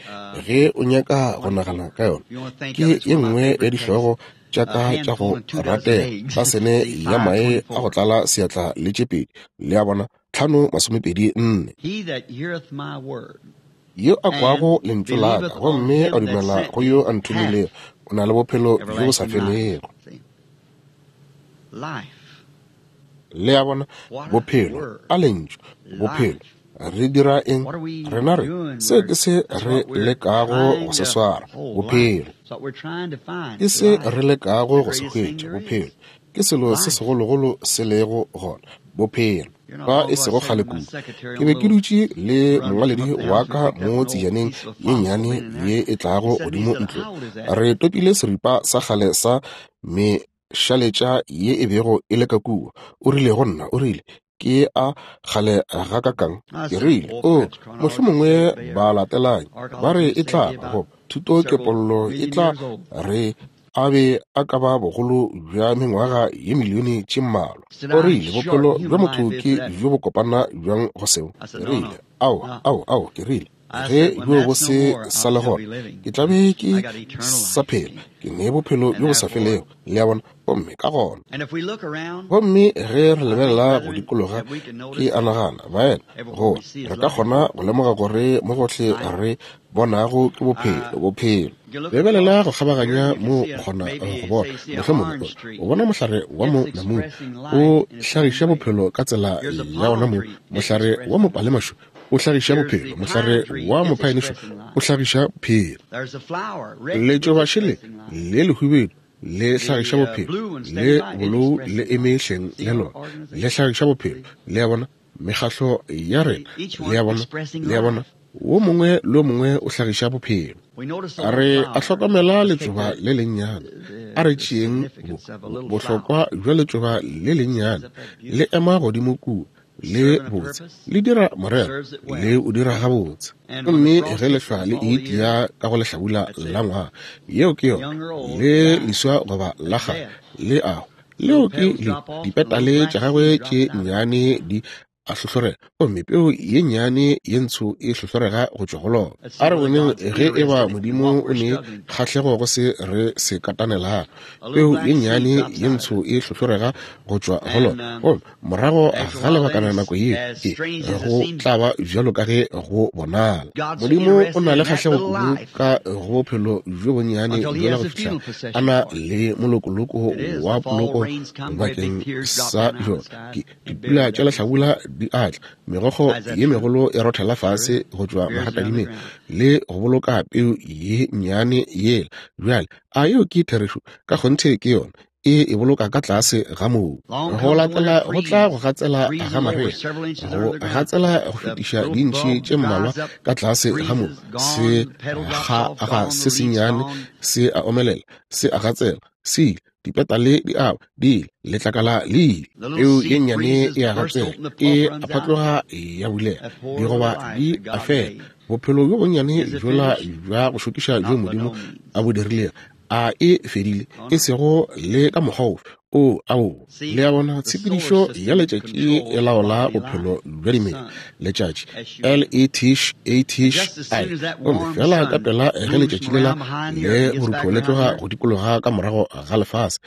Ge o nyaka go nagana ka yona, ke ye nngwe ya dihlogo tša ka tša go ratega, tasene ya mae a go tlala seatla le tše pedi. Le a bona, tlhano masomepedi nne. Yo a kwago lentšu la ka gomme a dumela go yo a nthomilego, o na le bophelo bjo bo sa felego. Le a bona, bophelo, a lentšu, bophelo. Re dira eng? Rena re, seo ke se re lekago go se swara, bophelo. Ke se re lekago go se hwetša, bophelo. Ke selo se segologolo se lego gona, bophelo. Fa e sego kgale kudu, ke be ke dutše le mongwaledi wa ka mo tsejaneng ye nnyane ye e tlago godimo ntlong. Re topile seripa sa kgale sa mešaletša ye e bego e le ka kua. O rile go nna, o rile, ke a kgale gakakang? Ke rile, o, mohlomongwe ba latelang ba re e tla ba go thuto kepollo e tla re a be a ka ba bogolo bja mengwaga ye milione tše mmalwa. O rile, bophelo bja motho ke bjo bo kopana bjang go seo? Ke rile, ao, ao, ao, ke rile, ge bjo bo se sa le gona, ke tla be ke sa phela, ke ne bophelo bjo bo sa felego. Le a bona? Gomme ka gona, gomme ge re lebelela go dikologa, ke a nagana, baena, go re ka kgona go lemoga gore mo gohle re bonago ke bophelo, bophelo. Lebelela go kgabaganya mo o kgona go bona, mohlomongwe o bona mohlare wa mo namune o hlagiša bophelo ka tsela ya ona mo, mohlare wa mopalemašo o hlagiša bophelo, mohlare wa mophaenišo o hlagiša bophelo, letšobašele le lehubedu le hlagiša bophelo, le bolou le eme hleng le lona le hlagiša bophelo. Le a bona? Mekgahlo ya rena, le a bona, le a bona, wo mongwe le wo mongwe o hlagiša bophelo. Re a hlokomela letšoba le lennyane. A re tšeeng bohlokwa bja letšoba le lennyane, le ema godimo kua, le botse, le dira morero, le o dira gabotse. Gomme ge lehlwa le itia ka go lehlabula la ngwaga, yeo ke yona, le leswa goba la kgale, le ago, leo ke le dipetale tša gagwe tše nnyane di a hlohlorega, gomme peo ye nnyane ye ntsho e hlohlorega go tšwa go lona. A re boneng ge e ba Modimo o ne kgahlego go se re se katanelang. Peo ye nnyane ye ntsho e hlohlorega go tšwa go lona, gomme morago ga lebakana nako ye e go tla ba bjalo ka ge go bonala. Modimo o na le kgahlego kudu ka go bophelo bjo bonnyane bjola go fihla a na le molokoloko wa poloko bakeng sa bjona. Ke dipula tša lehlabula di atla, megokgo ye megolo e rothela fase go tšwa maratadimeng le go boloka peu ye nnyane yela. Bjale, a yeo ke therešo? Ka kgonthe ke yona. E e boloka ka tlase ga mobu. Go latela go tla go gatsela ga marea, go gatsela go fetiša dintšhi tše mmalwa ka tlase ga mobu. Se ga ga se sennyane se a omelela, se a gatsela, se ile, dipetale di awa, di ile, letlakala le ile. Peu ye nnyane e a gatsela, e a phatloga ya bulega, digoba di a fela. Bophelo bjo bonnyane bjola bja go šokiša bjo Modimo a bo dirilego, a e fedile, e sego le ka mokgwa ofe. O, ao, le a bona, tshepedišo ya letšatši e laola bophelo bja dimela. Letšatši, L E T A T I. Gomme fela ka pela ge letšatši lela le borutho le tloga go dikologa ka morago ga lefase,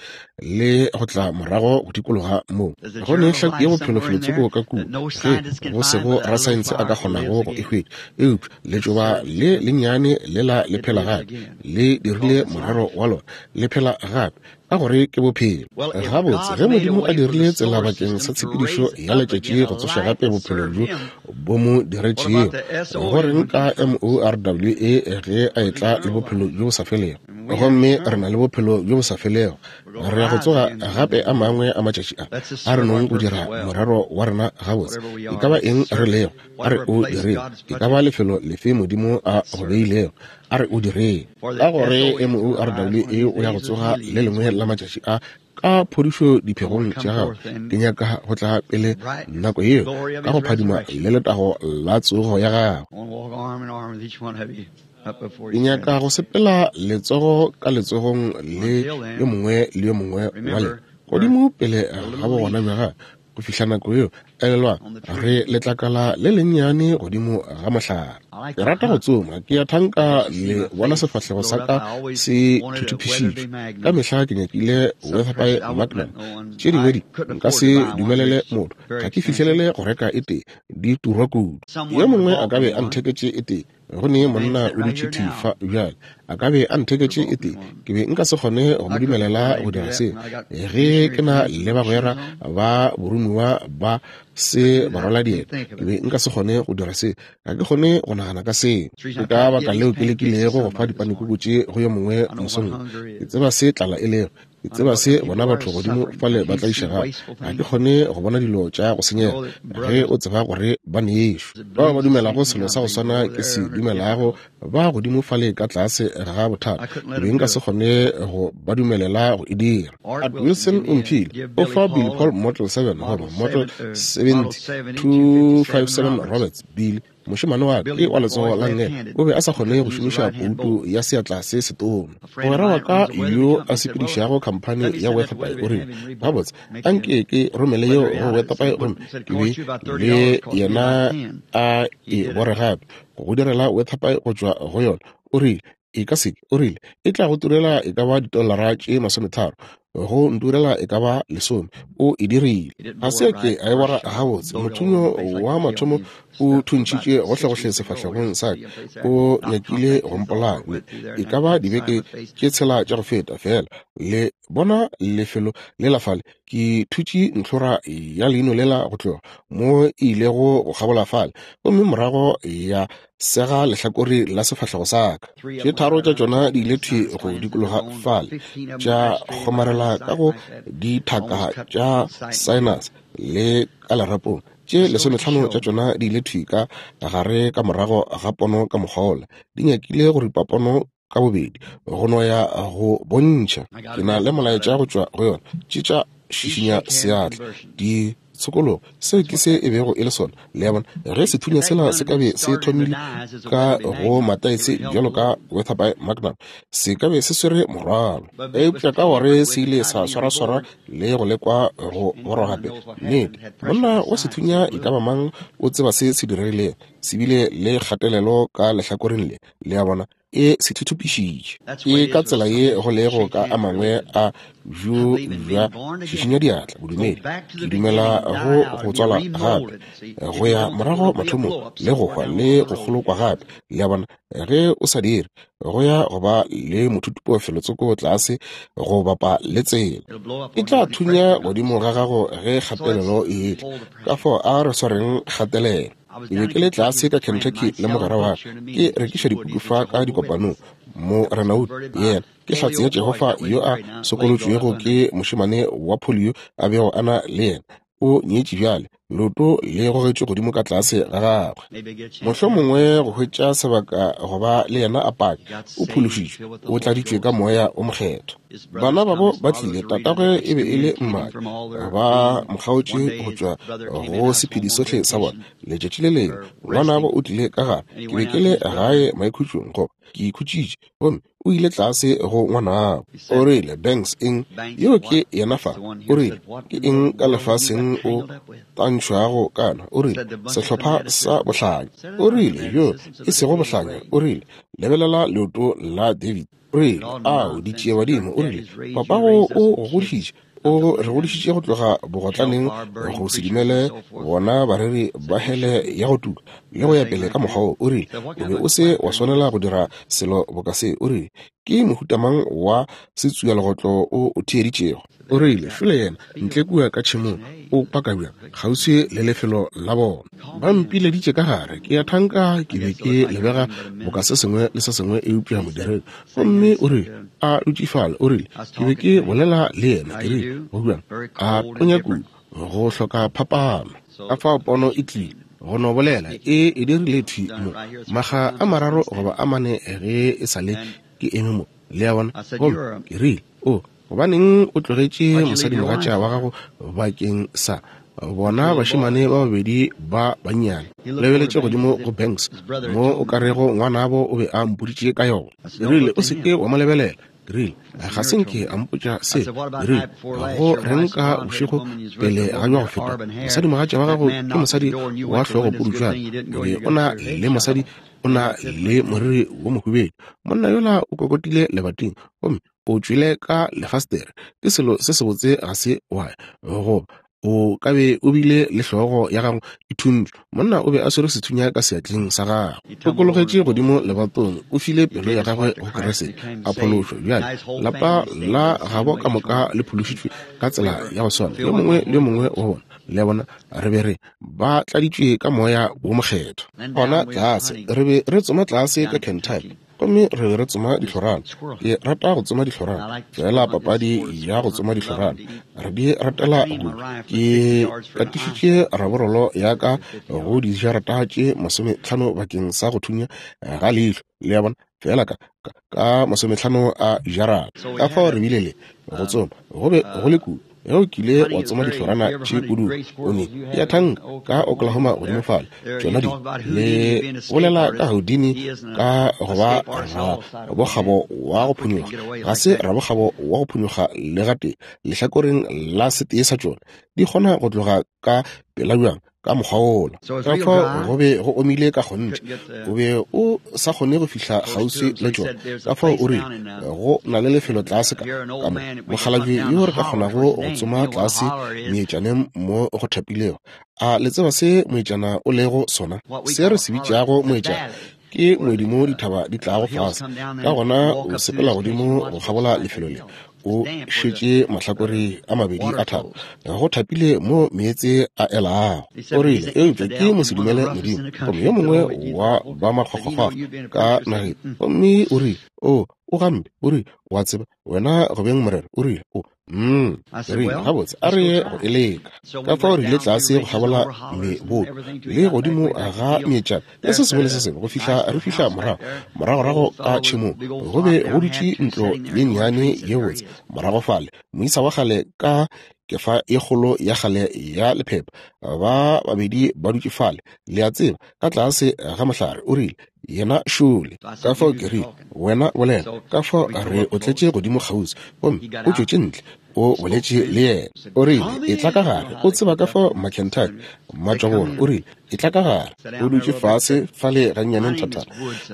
le go tla morago go dikologa moo, go ne hlaku ya bophelo felotsoko ka kua, ge go sego rasaense a ka kgonago go e hwetša. Eupša letšoba le lennyane lela le phela gape, le dirile morero wa lona, le phela gape, ka gore ke bophelo. Gabotse, ge Modimo a dirile tsela bakeng sa tshepedišo ya letšatši go tsoša gape bophelo bjo bo mo diretšego, go reng ka M O R W A ge a etla le bophelo bjo bo sa felego? Gomme re na le bophelo bjo bo sa felego. Re ya go tsoga gape a mangwe a matšatši a. A re nong go dira morero wa rena gabotse. E ka ba eng re lego, a re o direng. E ka ba lefelo lefe Modimo a go beilego, a re o direng. Ka gore M O R W A o ya go tsoga le lengwe la matšatši a ka phodišo diphegong tša gagwe. Ke nyaka go tla pele nako yeo ka go phadima le letago la tsogo ya gagwe. Ke nyaka go sepela letsogo ka letsogong le yo mongwe le yo mongwe wa lena godimo pele ga bogona bja gagwe go fihla nako yeo. Elelwa, re letlakala le lennyane godimo ga mohlare. Ke rata go tsoma, ke a thanka le bona sefahlego sa ka se thuthupišitšwe. Ka mehla ke nyakile Weatherby Magnum. Tše dingwe di nka se dumelele motho, ga ke fihlelele go reka e tee, di turwa kudu. Yo mongwe a ka be a ntheketše e tee. Go ne monna o dutše thwi fa bjale, a ka be a ntheketše e tee, ke be nka se kgone go mo dumelela go dira seo. Ge ke na le bagwera ba boromiwa ba se ba rwala dieta, ke be nka se kgone go dira seo. Ga ke kgone go nagana ka seo. Ke ka baka leo ke lekilego go fa dipanekuku tše go yo mongwe mosong. Ke tseba se tlala e lego. Ke tseba se bona batho godimo fale ba tlaišegago. Ga ke kgone go bona dilo tša go senyega ge o tseba gore ba nešo. Bao ba dumelago selo sa go swana ke se dumelago ba godimo fale ka tlase ga bothata. Ke be nka se kgone go ba dumelela go e dira. Art Wilson o mphile o fa Billy Paul Model seven goba Model seventy two five seven Roberts. Billy mošemane wa ke wa letsogo la nngele o be a sa kgone go šomiša pouto ya seatla se setona. Mogwera wa ka yo a sepedišago khamphani ya Weatherby o rile, gabotse anke ke romele yeo go Weatherby gomme ke be le yena a e bore gape go direla Weatherby go tšwa go yona. O rile e ka se, o rile e tla go turela e ka ba ditolara tše masometharo, go nturela e ka ba lesome. O e dirile. Ga se ke a e bora gabotse. Mothunyo wa mathomo o thuntšhitše gohlegohle sefahlegong sa ka, o nyakile go mpolaya. E ka ba dibeke tše tshela tša go feta fela. Le bona lefelo le la fale, ke thutše ntlhora ya leino lela go tloga mo e ilego go kgabola fale, gomme morago ya sega lehlakore la sefahlego sa ka. Tše tharo tša tšona di ile thwi go dikologa fale, tša kgomarela ka go dithaka tša sinus le ka lerapong. Tše lesometlhano tša tšona di ile thwi ka gare ka morago ga pono ka mokgwa wola, di nyakile go ripa pono ka bobedi go no ya go bontšha. Ke na le molaetša go tšwa go yona. Tše tša šišinya seatla di tshokologo, seo ke se e bego e le sona. Le a bona, ge sethunya sela se ka be se thomile ka go mataese bjalo ka Weatherby Magnum, se ka be se swere morwalo, eupša ka gore se ile sa swaraswara le go lekwa go borwa gape. Nnete, monna wa sethunya e ka ba mang o tseba se se diregilego, se bile le kgatelelo ka lehlakoreng le. Le a bona, e se thuthupišitše. Ke ka tsela ye go lego ka a mangwe a bjo bja šišinya diatla bodumedi. Ke dumela go go tswala gape, go ya morago mathomong, le go hwa le go kgolokwa gape. Le a bona, ge o sa dire, go ya go ba le mothuthupo felotsoko tlase go bapa le tsela, e tla thunya godimo ga gago ge kgatelelo e etla. Ka fao a re swareng kgatelelo. Ke be ke le tlase ka Kentucky le mogwera wa ka, ke rekiša dipuku fa ka dikopanong. Mo Renaud yena ke hlatse ya Jehofa yo a sokolotšwego ke mošemane wa polio a bego a na le yena. O nyetše bjale, leoto le gogetšwe godimo ka tlase ga gagwe. Mohlomongwe go hwetša sebaka go ba le yena a paka. O phološitšwe, o tladitšwe ka moya o mokgethwa. Bana babo ba tlile, tatagwe e be e le mmadi, ba mo kgaotše go tšwa go sephedi sohle sa bona. Letšatši le lengwe ngwanabo o tlile ka gare, ke be ke le gae maikhutšong goba ke ikhutšitše, gomme o ile tlase go ngwanabo. O rile, Banks eng? Yeo ke yena fa. O rile, ke eng ka lefaseng o tantšhwago kana? O rile, sehlopha sa bohlanya. O rile, yo e sego bohlanya. O rile, lebelela leoto la David. O rile, ao ditšiebadimo. O rile, papago o go godišitše, o re godišitše go tloga bogotlaneng go se dumele bona bareri ba hele ya go tuka le go ya pele ka mokgwa wo. O rile, o be o se wa swanela go dira selo boka se. O rile, ke mohuta mang wa setsualegotlo o o theeditšego? O rile, šole yena ntle kua ka tšhemong o paka bjang kgauswi le lefelo la bona. Ba mpileditše ka gare, ke ya thanka ke be ke lebega boka se sengwe le se sengwe eupša modiredi. Gomme o rile, a dutše fale, o rile, ke be ke bolela le yena, ke rile, go bjang? A tonya kudu, go hloka phapano. Ka fao pono e tlile go no bolela e e dirile thwi mo maga a mararo goba a mane ge e sa le ke eme mo. Le a bona? Gomme ke rile, o gobaneng o tlogetše mosadimogatša wa gago bakeng sa bona bašemane ba babedi ba bannyane? Lebeletše godimo go Banks mo o ka rego ngwanabo o be a mpoditše ka yona. Ke rile, o se ke wa mo lebelela. Ke rile, ga se nke a mpotša se. Ke rile, go reng ka bošego pele ga bja go feta, mosadimogatša wa gago ke mosadi wa hlogopudutšwana, o be o na le mosadi o na le moriri wo mohubedu. Monna yola o kokotile lebating gomme o tšwele ka lefastere. Ke selo se sebotse ga se wa goba o ka be o bile le hlogo ya gago e thuntšwe. Monna o be a swere sethunya ka seatleng sa gagwe. O kologetše godimo lebatong, o file pelo ya gagwe go Kriste, a phološwa. Bjale lapa la gabo ka moka le phološitšwe ka tsela ya go swana, yo mongwe le yo mongwe wa bona. Le a bona, re be re ba tladitšwe ka moya wo mokgethwa. Gona tlase re be re tsoma tlase ka Kentucky, Gomme re be re tsoma dihlorana. Ke rata go tsoma dihlorana, feela papadi ya go tsoma dihlorana. Re di ratela kudu. Ke katišitše raborolo ya ka go dijarata tše masometlhano bakeng sa go thunya ga leihlo, le a bona, feela ka ka masometlhano a jarata. Ka fao re bile le go tsoma, go be go le kudu. Ge o kile wa tsoma dihlorana tše kudu, o ne ya thanka ka Oklahoma godimo fale, tšona di le bolela ka Houdini ka go ba rabokgabo wa go phonyokga. Ga se rabokgabo wa go phonyokga le gatee lehlakoreng la setee sa tšona. Di kgona go tloga ka pela bjang ka mokgwa wola. Ka fao go be go omile ka kgonthe, o be o sa kgone go fihla kgauswi le tšona. Ka fao o rile go na le lefelo tlase ka ka mo mokgalabje yo re ka kgonago go tsoma tlase meetšaneng mo go thapilego. A le tseba se moetšana o lego sona? Se re se bitšago moetšana ke moedi mo dithaba di tlago fase. Ka gona o sepela godimo go kgabola lefelo le, o šetše mahlakore a mabedi a thaba, go thapile mo meetse a elago. O rile, eupša ke mosedumele Modimo, gomme yo mongwe wa ba makgwakgwakgwa ka nageng. Gomme o rile, o o gampe. O rile, wa tseba wena go beng morero. O rile, o mm rile, gabotse, a re ye go e leka. Ka fao re ile tlase go kgabola meboto le godimo ga meetšana le se sengwe le se sengwe go fihla re fihla morago moragorago ka tšhemong. Go be go dutše ntlo ye nnyane ye botse morago fale, moisa wa kgale ka kefa e kgolo ya kgale ya lephepha, ba babedi ba dutše fale, le a tseba, ka tlase ga mohlare. O rile, yena šole. Ka fao ke rile, wena bolela. Ka fao re o tletše godimo kgauswi, gomme o tšwetše ntle, o boletše le yena. O rile, etla ka gare. O tseba ka fao Makentucky matšwabolo. O rile, etla ka gare. O dutše fase fale gannyane nthathana,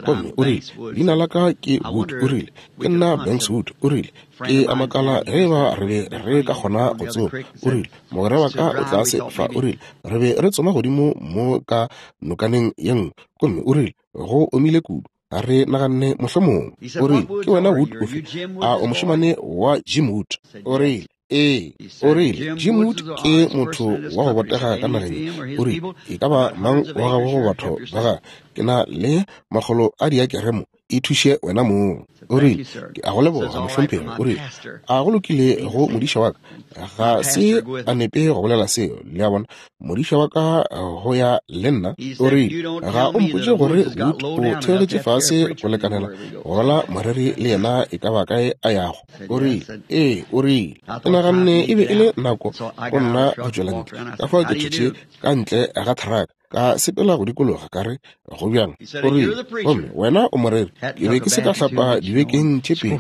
gomme o rile, leina la ka ke Wood. O rile, ke nna Banks Wood. O rile, ke a makala ge ba re be re ka kgona go tsoma. O rile, mogwera wa ka o tlase fa. O rile, re be re tsoma godimo mo ka nokaneng ye nngwe, gomme o rile, go omile kudu, re naganne mohlomongwe. O rile, ke wena Wood ofe? A o mošemane wa Jim Wood? O rile, ee. O rile, Jim Wood ke motho wa go botega ka nageng. O rile, e ka ba mang wa gagwe go batho ba gagwe? Ke na le makgolo a diakere mo, e thuše wena mong. O rile, ke a go leboga mohlomphegi. O rile, a go lokile go modiša wa ka. Ga se a nepe go bolela seo, le a bona, modiša wa ka go ya le nna. O rile, ga o mpotše gore Wood o theogetše fase go lekanela go rwala moreri le yena e ka ba kae a yago. O rile, ee. O rile, ke naganne e be e le nako go nna go tšwela ntle. Ka fao ke tšwetše ka ntle ga thraka, ka sepela go dikologa, ka re, go bjang? O rile, gomme wena o moreri. Ke be ke se ka hlapa dibekeng tše pedi,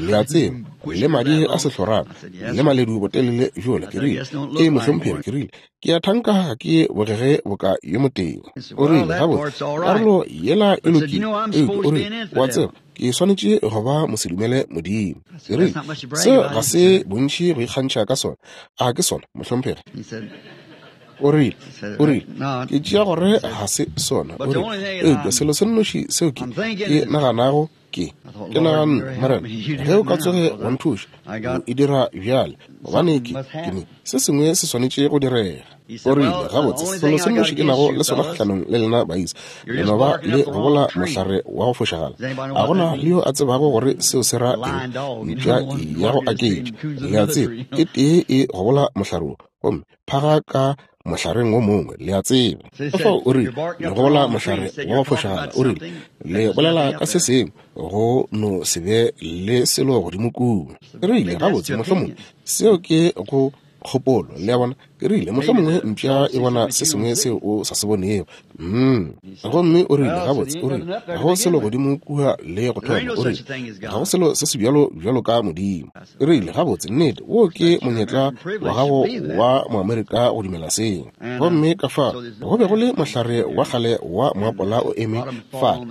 le a tseba, le madi a sehlorana le maledu botelele bjola. Ke rile, ee mohlomphegi. Ke rile, ke a thanka ga ke bogege boka yo motee. O rile, gabotse, karolo yela e lokile, eupša o rile, wa tseba, ke swanetše go ba mosedumele Modimo. Ke rile, seo ga se bontši go ikgantšha ka sona. A ke sona, mohlomphegi? O rile, o rile, ke tšea gore ga se sona. O rile, eupša selo se nnoši seo ke ke naganago ke, ke naganne, Morena, ge o ka tsoge wa nthuša, o e dira bjale, gobane ke, ke ne, se sengwe se swanetše go direga. O rile, gabotse, selo se nnoši ke nago le sona kgahlanong le lena baisa, le no ba le gobola mohlare wa go fošagala. A gona le yo a tsebago gore seo se ra eng? Mpša ya go aketša, le a tseba, e tee e gobola mohlare wo, gomme phaga ka mohlareng wo mongwe, le a tseba. Ka fao o rile, le gobola mohlare wa go fošagala. O rile, le bolela ka se sengwe, go no se be le selo godimo kua. Ke rile, gabotse, mohlomongwe seo ke go kgopolo, le a bona. Ke rile, mohlomongwe mpša e bona se sengwe seo o sa se bonego. Mm. Gomme o rile, gabotse, o rile, ga go selo godimo kua le go thoma. O rile, ga go selo se se bjalo bjalo ka Modimo. Ke rile, gabotse, nnete, wo ke monyetla wa gago wa Moamerika go dumela seo. Gomme ka fa go be go le mohlare wa kgale wa moapola o eme fa,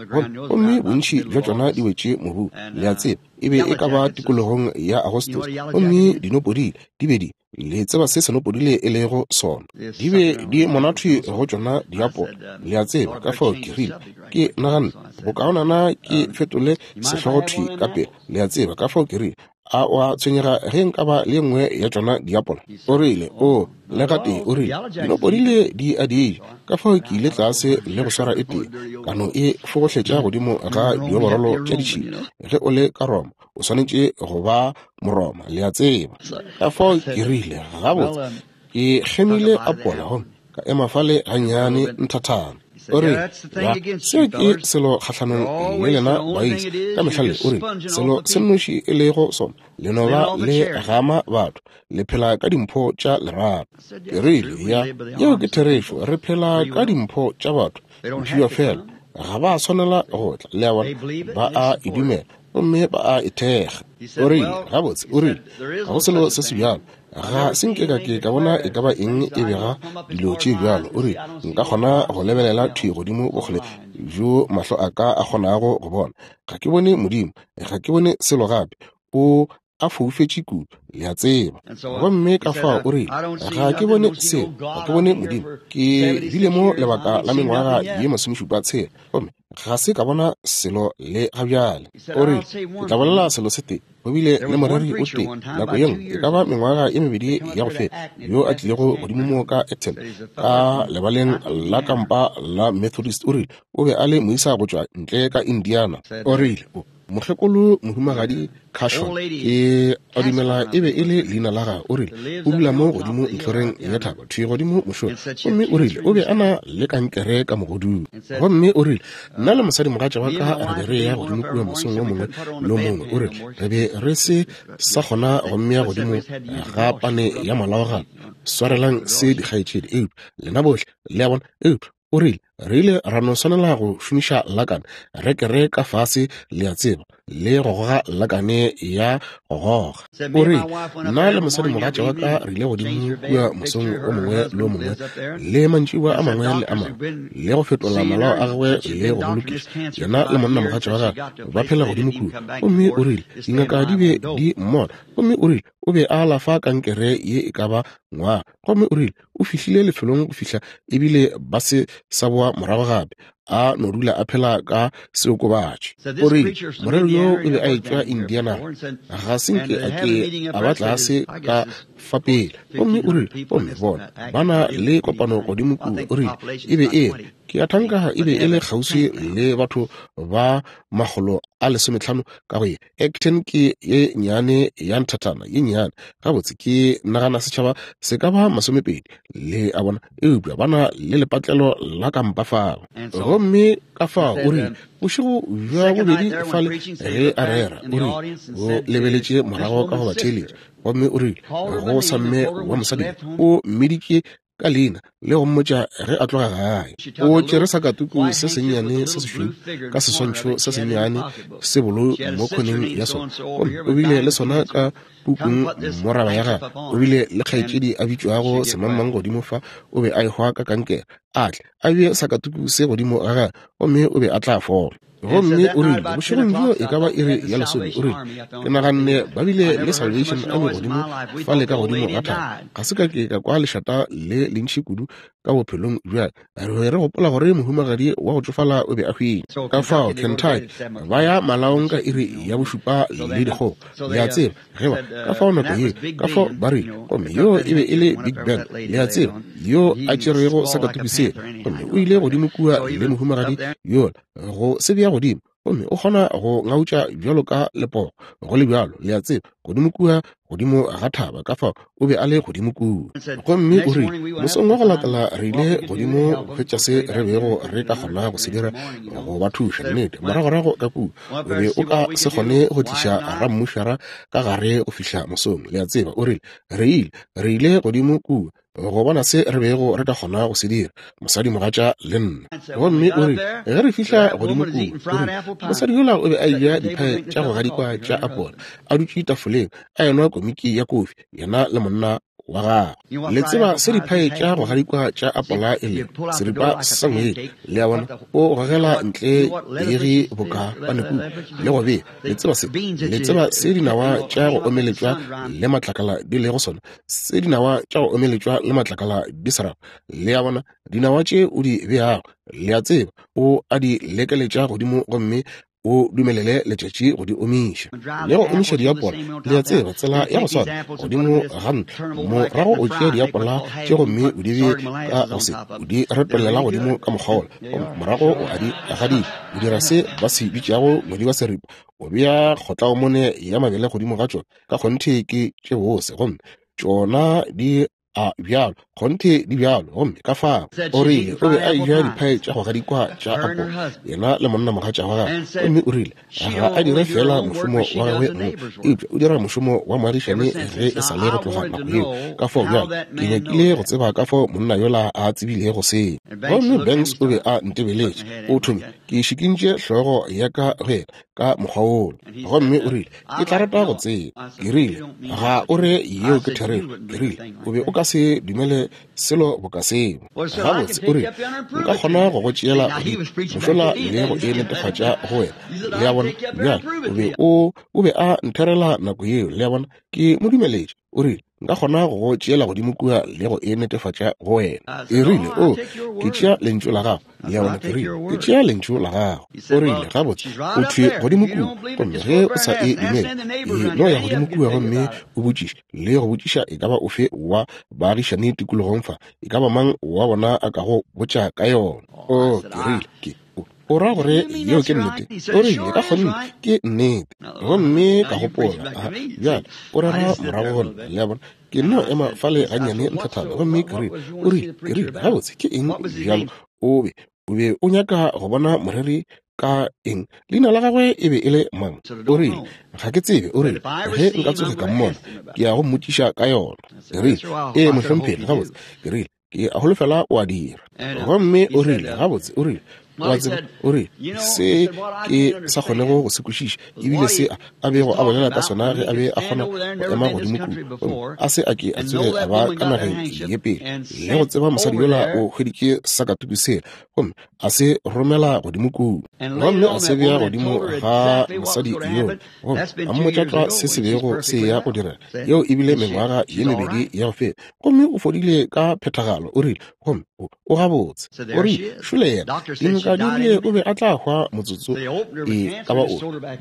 gomme bontši bja tšona di wetše mobu, le a tseba, e be e ka ba tikologong ya Agostose, gomme dinopodile di be di, le tseba se senopodile e lego sona, di be di monathwi go tšona diapola, le a tseba. Ka fao ke rile, ke naganne bokaonana ke fetole sehlogo thwi ka pele, le a tseba. Ka fao ke rile, A o a tshwenyega ge nka ba le nngwe ya tšona diapola? O rile, o, le gatee, o rile, dinopodile di a di ja. Ka fao ke ile tlase le go swara e tee, ka no e fogohletša godimo ga dioborolo tša ditšhila. Ge o le ka Roma, o swanetše go ba Moroma, le a tseba. Ka fao ke rile, gabotse, ke kgemile apola gomme ka ema fale gannyane nthathana. O rile, ya, seo ke selo kgahlanong le lena baisa ka mehla le. O rile, selo se nnoši e lego sona, le no ba le gama batho, le phela ka dimpho tša lerato. Ke rile, ya, yeo ke therešo, re phela ka dimpho tša batho, mphiwa fela, ga ba swanela go tla, le a bona, ba a e dumela gomme ba a e thekga. O rile, gabotse, o rile, ga go selo se se bjalo, ga se nke ka ke ka bona e ka ba eng e bega dilo tše bjalo. O rile, nka kgona go lebelela thwi godimo bokgole bjo mahlo a ka a kgonago go bona, ga ke bone Modimo, ga ke bone selo gape, o a foufetše kudu, le a tseba. Gomme ka fao o rile, ga ke bone selo, ga ke bone Modimo, ke bile mo lebaka la mengwaga ye masomešupa tshela, gomme ga se ka bona selo le ga bjale. O rile, ke tla bolela selo se tee, go bile le moreri o tee nako ye nngwe, e ka ba mengwaga ye mebedi ya go feta, yo a tlilego godimo mo ka Acton, ka lebaleng la kampa la Methodist. O rile, o be a le moisa go tšwa ntle ka Indiana. O rile, o mokgekolo mohumagadi Cashon, ke a dumela e be e le leina la gagwe. O rile, o dula mo godimo ntlhoreng ya thaba, thwi godimo mošola. Gomme o rile, o be a na le kankere ka mogodung. Gomme o rile, nna le mosadimogatša wa ka re be re ya godimo kua mosong o mongwe le o mongwe. O rile, re be re se sa kgona go mmea godimo ga pane ya malao gape. Swarelang se dikgaetšedi, eupša lena bohle le a bona, eupša o rile, re ile ra no swanela go šomiša lakane, re kere ka fase, le a tseba, le go goga lakane ya go goga. O rile, nna le mosadimogatša wa ka re ile godimo kua mosong o mongwe le o mongwe le mantšiboa a mangwe le a mangwe, le go fetola malao a gagwe le go mo lokiša. Yena le monnamogatša wa gagwe ba phela godimo kua. Gomme o rile, dingaka di be di mmona. Gomme o rile, o be a alafa kankere ye e ka ba ngwaga. Gomme o rile, o fihlile lefelong go fihla ebile ba se sa boa morago gape, a no dula a phela ka seokobatši. O rile, moreri yo o be a etšwa Indiana, ga se nke a ke a ba tlase ka fa pele. Gomme o rile, gomme bona ba na le kopano godimo kua. O rile, e be e re, ke a thanka e be e le kgauswi le batho ba makgolo a lesometlhano ka go ye. Acton ke ye nnyane ya nthathana ye nnyane, gabotse ke nagana setšhaba se ka ba masomepedi, le a bona, eupša ba na le lepatlelo la kampa fao. Gomme ka fao o rile, bošego bja bobedi fale ge a rera, o rile, o lebeletše morago ka go ba theeletša. Gomme o rile, go sa mme wa mosadi, o mmiditše ka leina le go mmotša ge a tloga gae. O tšere sakatuku se sennyane se sešweu ka seswantšho se sennyane se bolo mo khoneng ya sona, gomme o bile le sona ka pukung moraba ya gagwe. O bile le kgaetšedi a bitšwago semangmang godimo fa, o be a ehwa ka kankere, a tle a bee sakatuku se godimo ga gagwe, gomme o be a tla fola. Gomme o rile, bošegong bjo e ka ba iri ya lesome, o rile, ke naganne ba bile le Salvation Army godimo fale ka godimo ga thaba. Ga se ka ke ka kwa lešata le lentši kudu ka bophelong bja ka. Re be re gopola gore mohumagadi wa go tšofala o be a hwile. Ka fao Kentucky ba ya malaong ka iri ya bošupa le dikgogo, le a tseba, ge ba ka fao nako ye, ka fao ba rile, gomme yo e be e le Big Ben, le a tseba, yo a tšerego sakatuku sela, gomme o ile godimo kua le mohumagadi yola go se bea godimo, gomme o kgona go ngautša bjalo ka lepogo, go le bjalo, le a tseba, godimo kua godimo ga thaba. Ka fao o be a le godimo kua. Gomme o rile, mosong wa go latela re ile godimo go hwetša se re bego re ka kgona go se dira go ba thuša. Nnete, moragorago ka kua o be o ka se kgone go tliša rammušara ka gare go fihla mosong, le a tseba. O rile, re ile re ile godimo kua go bona se re bego re ka kgona go se dira, mosadimogatša le nna. Gomme o rile, ge re fihla godimo kua, o rile, mosadi yola o be a eja diphae tša go gadikwa tša apola, a dutše tafoleng a enwa komiki ya kofi, yena le monna wa gagwe. Le tseba se diphae tša go gadikwa tša apola e lego seripa sa ngwedi, le a bona, o gogela ntle egi boka panekuku le go bea. Le tseba se, le tseba se dinawa tša go omeletšwa le matlakala di lego sona, se dinawa tša go omeletšwa le matlakala di se rago, le a bona, dinawa tše o di beago, le a tseba, o a di lekeletša godimo gomme O dumelele letšatši go di omiša le go omiša diapola. Le a tseba tsela ya go swana godimo ga ntlo. Morago o tšea diapola tše gomme o di bee ka go se, o di retollela godimo ka mokgwa wola, morago o a di gadika. O dira se ba se bitšago ngwedi wa seripa. O bea kgotlaomone ya mabele godimo ga tšona. Ka kgonthe ke tše bose, gomme tšona di a bjalo, kgonthe di bjalo. Gomme ka fao o rile o be a eja diphae tša go gadikwa tša apola, yena le monnamogatša wa gagwe. Gomme o rile ga a dire fela mošomo wa gagwe mong, eupša o dira mošomo wa moagišane ge e sa le go tloga nako yeo. Ka fao bjalo ke nyakile go tseba ka fao monna yola a tsebilego seo. Gomme Banks o be a ntebeletše. O thomile, ke šikintše hlogo ya ka go yena ka mokgwa wola. Gomme o rile, ke tla rata go tseba. Ke rile, ga o re yeo ke therešo. Ke rile, o be o ka se dumele selo boka seo. Gabotse, o rile, nka kgona go go tšeela godimo mošola le go e netefatša go wena. Le a bona? Bjale o be o o be a ntherela nako yeo. Le a bona? Ke mo dumeletše. O rile, nka kgona go go tšeela godimo kua le go e netefatša go wena. E rile, o, ke tšea lentšu la gago. Le a bona? Ke rile, ke tšea lentšu la gago. O rile, gabotse, o thwe godimo kua, gomme ge o sa e dumele, e no ya godimo kua gomme o botšiše le go botšiša e ka ba ofe wa baagišane tikologong fa, e ka ba mang wa bona a ka go botša ka yona. O, ke rile, ke o ra gore yeo ke nnete? O rile, ka kgonthe ke nnete. Gomme ka gopola, aha, bjale o rera morago go nna. Le a bona? Ke nno ema fale gannyane nthathana. Gomme ke rile, o rile, ke rile, gabotse ke eng bjalo? O be o be o nyaka go bona moreri ka eng? Leina la gagwe e be e le mang? O rile, ga ke tsebe. O rile, ge nka tsoge ka mmona, ke ya go mmotšiša ka yona. Ke rile, ee mohlomphegi, gabotse. Ke rile, ke a holofela o a dira. Gomme o rile, gabotse, o rile, wa tseba, o rile, se ke sa kgonego go se kwešiša, ebile se a bego a bolela ka sona ge a be a kgona go ema godimo kua, a se a ke a tsoge a ba ka nageng ye pele, le go tseba mosadi yola o hweditše sakatuku sela, gomme a se romela godimo kua, gomme a se bea godimo ga mosadi yola, gomme a mmotša tlwa se se bego se ya go direla. Yeo ebile mengwaga ye mebedi ya go feta, gomme o fodile ka phethagalo. O rile, gomme o gabotse. O rile, šole yena, dingaka di rile o be a tla hwa motsotso e ka ba o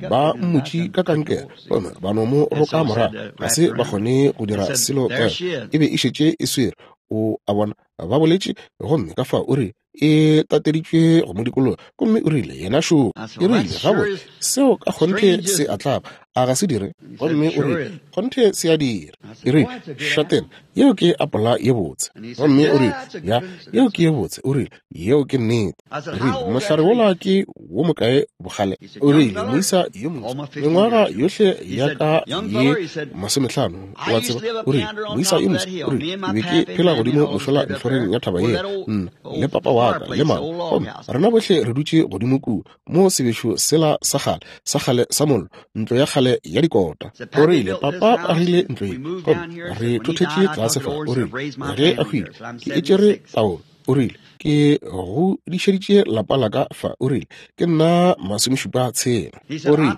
ba mmutše ka kankere, gomme ba no mo roka morago, ga se ba kgone go dira selo ka yona, e be e šetše e swere. O a bona, ba boletše. Gomme ka fao o rile e tateditšwe go mo dikologa, gomme o rile yena šo. Ke rile, gabotse, seo ka kgonthe se a tlaba, a ga se dire? Gomme o rile, kgonthe se a dira. Ke rile, šatena, yeo ke apola ye botse. Gomme o rile, ya, yeo ke ye botse. O rile, yeo ke nnete. Ke rile, mohlare wola ke wo mokae bogale? O rile, moisa yo moso, mengwaga yohle ya ka ye masomehlano, wa tseba. O rile, moisa yo moso, o rile, ke be ke phela godimo mošola ntlhoreng ya thaba yela, nna le papa wa ka le mama, gomme rena bohle re dutše godimo kua mo sebešo sela sa kgale, sa kgale sa mollo, ntlo ya kgale ya dikota. O rile, papa o agile ntlo ye, gomme re thothetše tlase fa. O rile, ge a hwile, ke e tšere taolo. O rile, ke godišeditše lapa la ka fa. O rile, ke nna masomešupa tshela. O rile,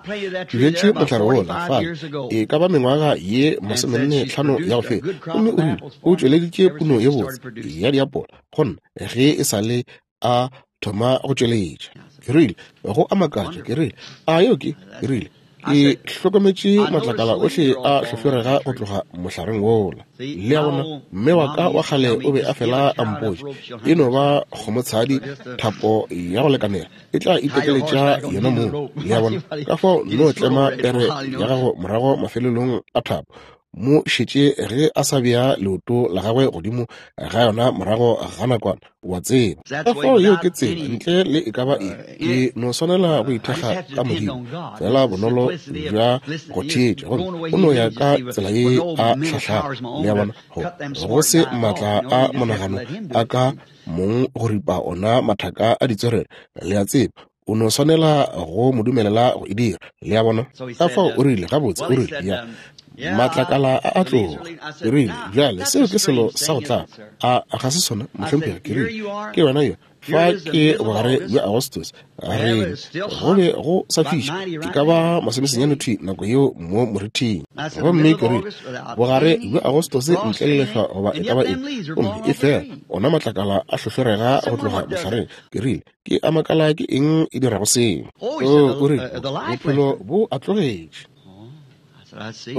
ke bjetše mohlare wola fale e ka ba mengwaga ye masomenne tlhano ya go feta. Gomme o rile, o tšweleditše puno ye botse ya diapola go nna ge e sa le a thoma go tšweletša. Ke rile, go a makatša. Ke rile, a yeo ke? Ke rile, ke hlokometše matlakala ohle a hlohlorega go tloga mohlareng wola. Le a bona, mme wa ka wa kgale o be a fela a mpotša, e no ba kgomotshadi, thapo ya go lekanela e tla itekeletša yona mong. Le a bona, ka fao no tlema pere ya gago morago mafelelong a thapo, mo šetše ge a sa bea leoto la gagwe godimo ga yona morago ga nakwana, wa tseba. Ka fao yeo ke tsela, ntle le e ka ba eng, ke no swanela go ithekga ka Modimo, fela bonolo bja go theetša, gomme o no ya ka tsela ye a hlahlago. Le a bona, go go se maatla a monagano a ka mong go ripa ona mathaka a ditswerere. Le a tseba, o no swanela go mo dumelela go e dira. Le a bona? Ka fao o rile, gabotse, o rile, ya, matlakala a a tloga. Ke rile, bjale seo ke selo sa go tlaba, a ga se sona, mohlomphegi? Ke rile, ke wena yo Fa ke bogare bja Agostose, re go be go sa fiša, ke ka ba masomesenyane thwi nako yeo mo morithing. Gomme ke rile, bogare bja Agostose ntle le lehlwa goba e ka ba eng, gomme e fela ona matlakala a hlohlorega go tloga mohlareng. Ke rile, ke a makala ke eng e dirago seo. O, o rile, bophelo bo a tlogetše.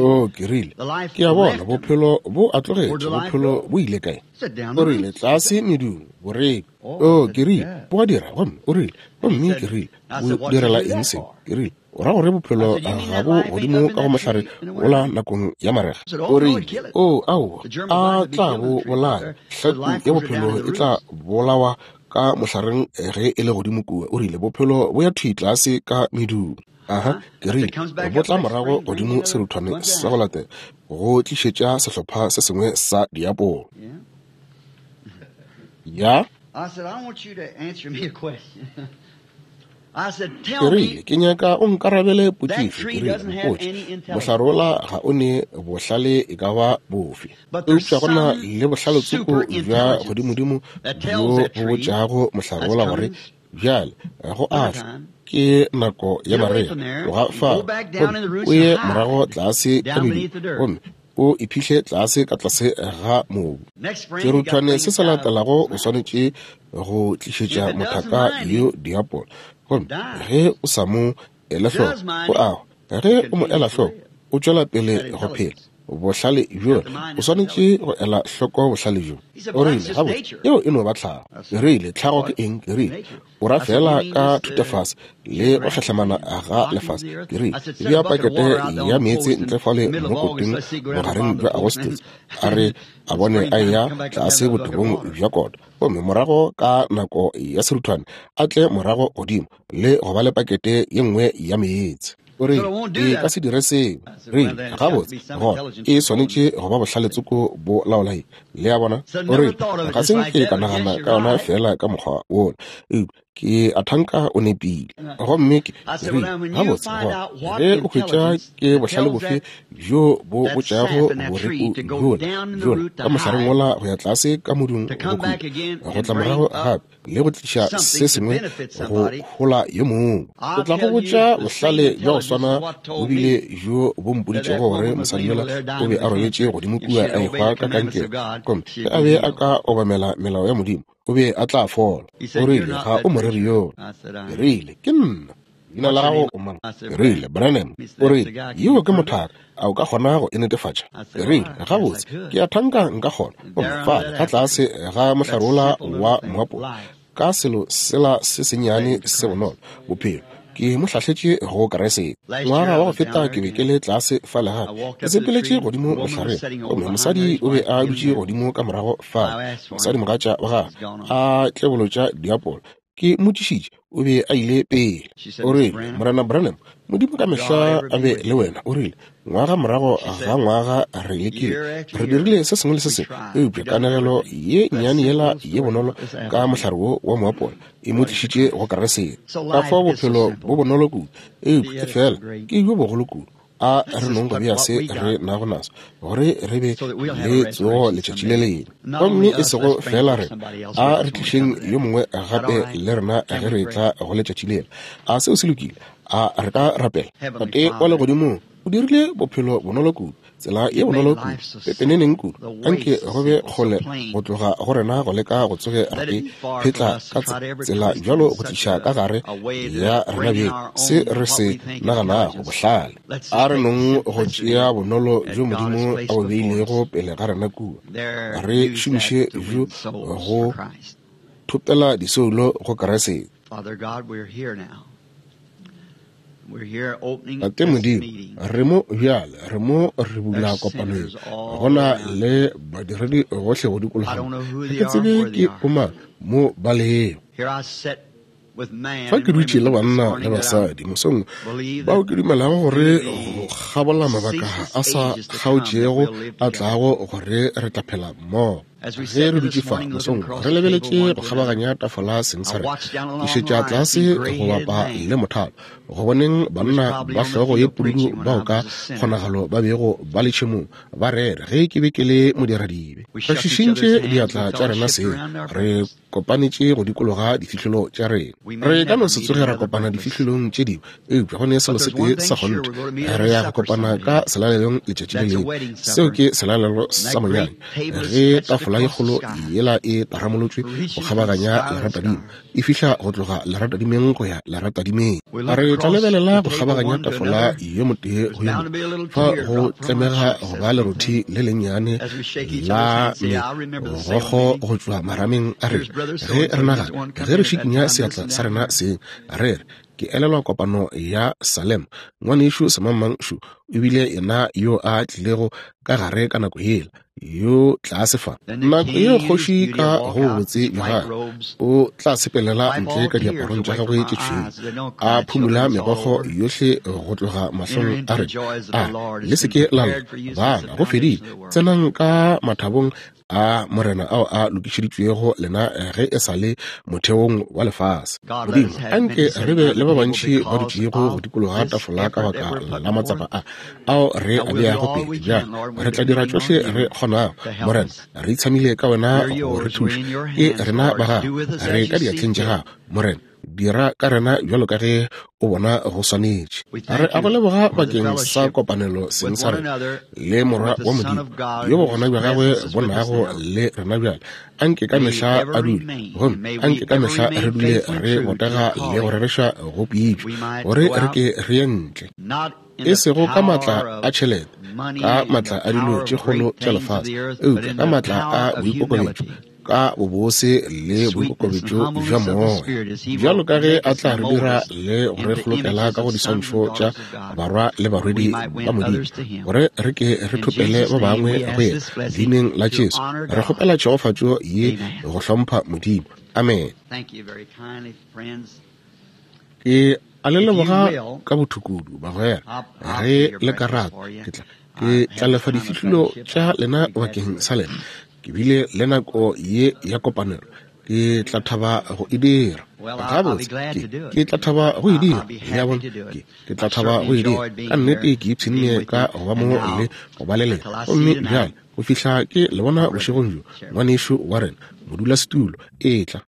O, ke rile, ke a bona bophelo bo a tlogetše, bophelo bo ile kae? O rile, tlase medung, boreko. O, ke rile, bo a dira, gomme o rile, gomme ke rile, bo direla eng seo? Ke rile, o ra gore bophelo ga bo godimo ka go mohlare wola nakong ya marega? O rile, o, aowa, a tla bo bolaya, hlaku ya bophelo e tla bolawa ka mohlareng ge e le godimo kua. O rile, bophelo bo ya thwi tlase ka medung. Aha, ke rile, bo tla morago godimo seruthwane sa go latela go tlišetša sehlopha se sengwe sa diapolo. Ya. Ke rile, ke nyaka o nkarabele potšišo. Ke rile, mpotše, mohlare wola ga o ne bohlale e ka ba bofe, eupša go na le bohlale-tsoko bja godimodimo bjo bo botšago mohlare wola gore bjale go atla ke nako ya marega, tloga fa gomme o ye morago tlase ka medung, gomme o iphihle tlase ka tlase ga mobu. Seruthwane se se latelago o swanetše go tlišetša mothaka yo diapolo, gomme ge o sa mo ele hloko o a hwa. Ge o mo ela hloko o tšwela pele go phela. Bohlale bjo o swanetše go ela hloko bohlale bjo. O rile, gabotse, yeo e no ba tlhago. Ke rile, tlhago ke eng? Ke rile, o ra fela ka thutafase le go hlahlamana ga lefase. Ke rile, bea pakete ya meetse ntle fale mo koteng bogareng bja Agostose, a re a bone a eya tlase botebong bja kota, gomme morago ka nako ya seruthwane a tle morago godimo le go ba le pakete ye nngwe ya meetse. O rile, e ka se dire seo. Rile, gabotse, gona e swanetše go ba bohlale-tsoko bo laolae. Le a bona? O rile, ga se nke ka nagana ka yona fela ka mokgwa wola, eupša ke a thanka o nepile. Gomme ke rile, gabotse, gona ge o hwetša ke bohlale bofe bjo bo botšago boreku bjola bjola ka mohlareng wola go ya tlase ka modung go khutla, go tla morago gape le go tliša se sengwe go hola yo mongwe. Ke tla go botša bohlale bja go swana bo bile bjo bo mpoditšego gore mosadi yola o be a robetše godimo kua a ehwa ka kankere, gomme ge a be a ka obamela melao ya Modimo o be a tla fola. O rile, ga o moreri yola. Ke rile, ke nna. Leina la gago o mang? Ke rile, Branham. O rile, yeo ke mothaka, a o ka kgona go e netefatša? Ke rile, gabotse, ke a thanka nka kgona. Gomme fale ka tlase ga mohlare wola wa moapola, ka selo sela se sennyane se bonolo, bophelo, ke mo hlahletše go Kriste. Ngwaga wa go feta ke be ke le tlase fale gape, ke sepeletše godimo mohlareng, gomme mosadi o be a dutše godimo ka morago fale, mosadi mogatša wa gagwe a tlebolotša diapolo. Ke mmotšišitše, o be a ile pele. O rile, Morena Branham, Modimo ka mehla a be le wena. O rile, ngwaga morago ga ngwaga re lekile, re dirile se sengwe le se sengwe, eupša kanegelo ye nnyane yela ye bonolo ka mohlare wo wa moapola e mo tlišitše go Kriste. Ka fao bophelo bo bonolo kudu, eupša e fela ke bjo bogolo kudu. A re nong go bea se re nago naso gore re be le tsogo letšatši le lengwe, gomme e sego fela rena, a re tlišeng yo mongwe gape le rena ge re tla go letšatši lela. A seo se lokile? A re ka rapela? Tate wa legodimong, o dirile bophelo bonolo kudu, tsela ye bonolo kudu, pepeneneng kudu, anke go be kgole go tloga go rena go leka go tsoge re phetla ka tsela bjalo go tliša ka gare ya rena beng se re se naganago bohlale. A re nong go tšea bonolo bjo Modimo a bo beilego pele ga rena kua, re šomiše bjo go thopela disoulo go Kriste. Tate Modimo, re mo bjale, re mo re bula kopano ye. Go na le badiredi gohle go dikologa. Ga ke tsebe ke bomang mo ba lego. Fa ke dutše le banna le basadi mosong bao ke dumelago gore go kgabola mabaka a sa kgaotšego a tlago gore re tla phela mmogo. Ge re dutše fa mosong re lebeletše go kgabaganya tafola seng sa rena, ke šetša tlase go bapa le mothalo go boneng banna ba hlogo ye pududu bao ka kgonagalo ba bego ba le tšhemong ba rere ge ke be ke le modiradibe. Re šišintše diatla tša rena seng, re kopanetše go dikologa difihlolo tša rena. Re ka no se tsoge ra kopana difihlolong tše dingwe, eupša go ne selo se tee sa kgonthe, re ya go kopana ka selalelong letšatši le lengwe. Seo ke selalelo sa monyanya, ge tafola ye kgolo yela e taramolotšwe go kgabaganya leratadima, e fihla go tloga leratadimeng go ya leratadimeng. Re tla lebelela go kgabaganya tafola yo motee go yo mongwe, fa go tlemega go ba lerothi le lennyane la megokgo go tšwa marameng a rena. Ge re nagana, ge re šikinya seatla sa rena seng, re re, ke elelwa kopano ya Salem, ngwanešu semangmang šo o bile yena yo a tlilego ka gare ka nako yela, yo tlase fa. Nako yeo kgoši ka go botse bja gagwe o tla sepelela ntle ka diaparong tša gagwe tše tšhweu, a phumula megokgo yohle go tloga mahlong a rena, a re, le se ke la lla, bana, go fedile, tsenang ka mathabong a morena ao a lokišeditšwego lena ge e sa le motheong wa lefase. Modimo, anke re be le ba bantši ba dutšego go dikologa tafola ka baka la matsapa a ao re a beago pele. Bjale re tla dira tšohle re kgonago, Morena, re itshamile ka wena go re thuša. Ke rena ba gago, re ka diatleng tša gago, Morena. Dira ka rena bjalo ka ge o bona go swanetše. Re a go leboga bakeng sa kopanelo seng sa rena le Morwa wa Modimo, yo bogona bja gagwe bo nago le rena bjale. Anke ka mehla a dule, gomme anke ka mehla re dule re botega le go rereša go pitšo, gore re ke re ye ntle, e sego ka maatla a tšhelete, ka maatla a dilo tše kgolo tša lefase, eupša ka maatla a boikokobetšo, ka bobose le boikokobetšo bja moya, bjalo ka ge a tla re dira le go re kgolokela ka go diswantšho tša barwa le barwedi ba Modimo, gore re ke re thopele ba bangwe go yena. Leineng la Jesu re kgopela tšhegofatšo ye go hlompha Modimo. Amen. Ke a le leboga ka bothukudu, bagwera. Ge le ka rata, ke tla ke tla lefa difihlolo tša lena bakeng sa lena. Ke bile le nako ye ya kopanelo, ke tla thaba go e dira. Gabotse, ke, ke tla thaba go e dira. Le a bona, ke, ke tla thaba go e dira. Ka nnete ke ipshinne ka go ba mo le go ba le lena. Gomme bjale go fihla ke le bona bošegong bjo, ngwanešu wa rena, modulasetulo, etla.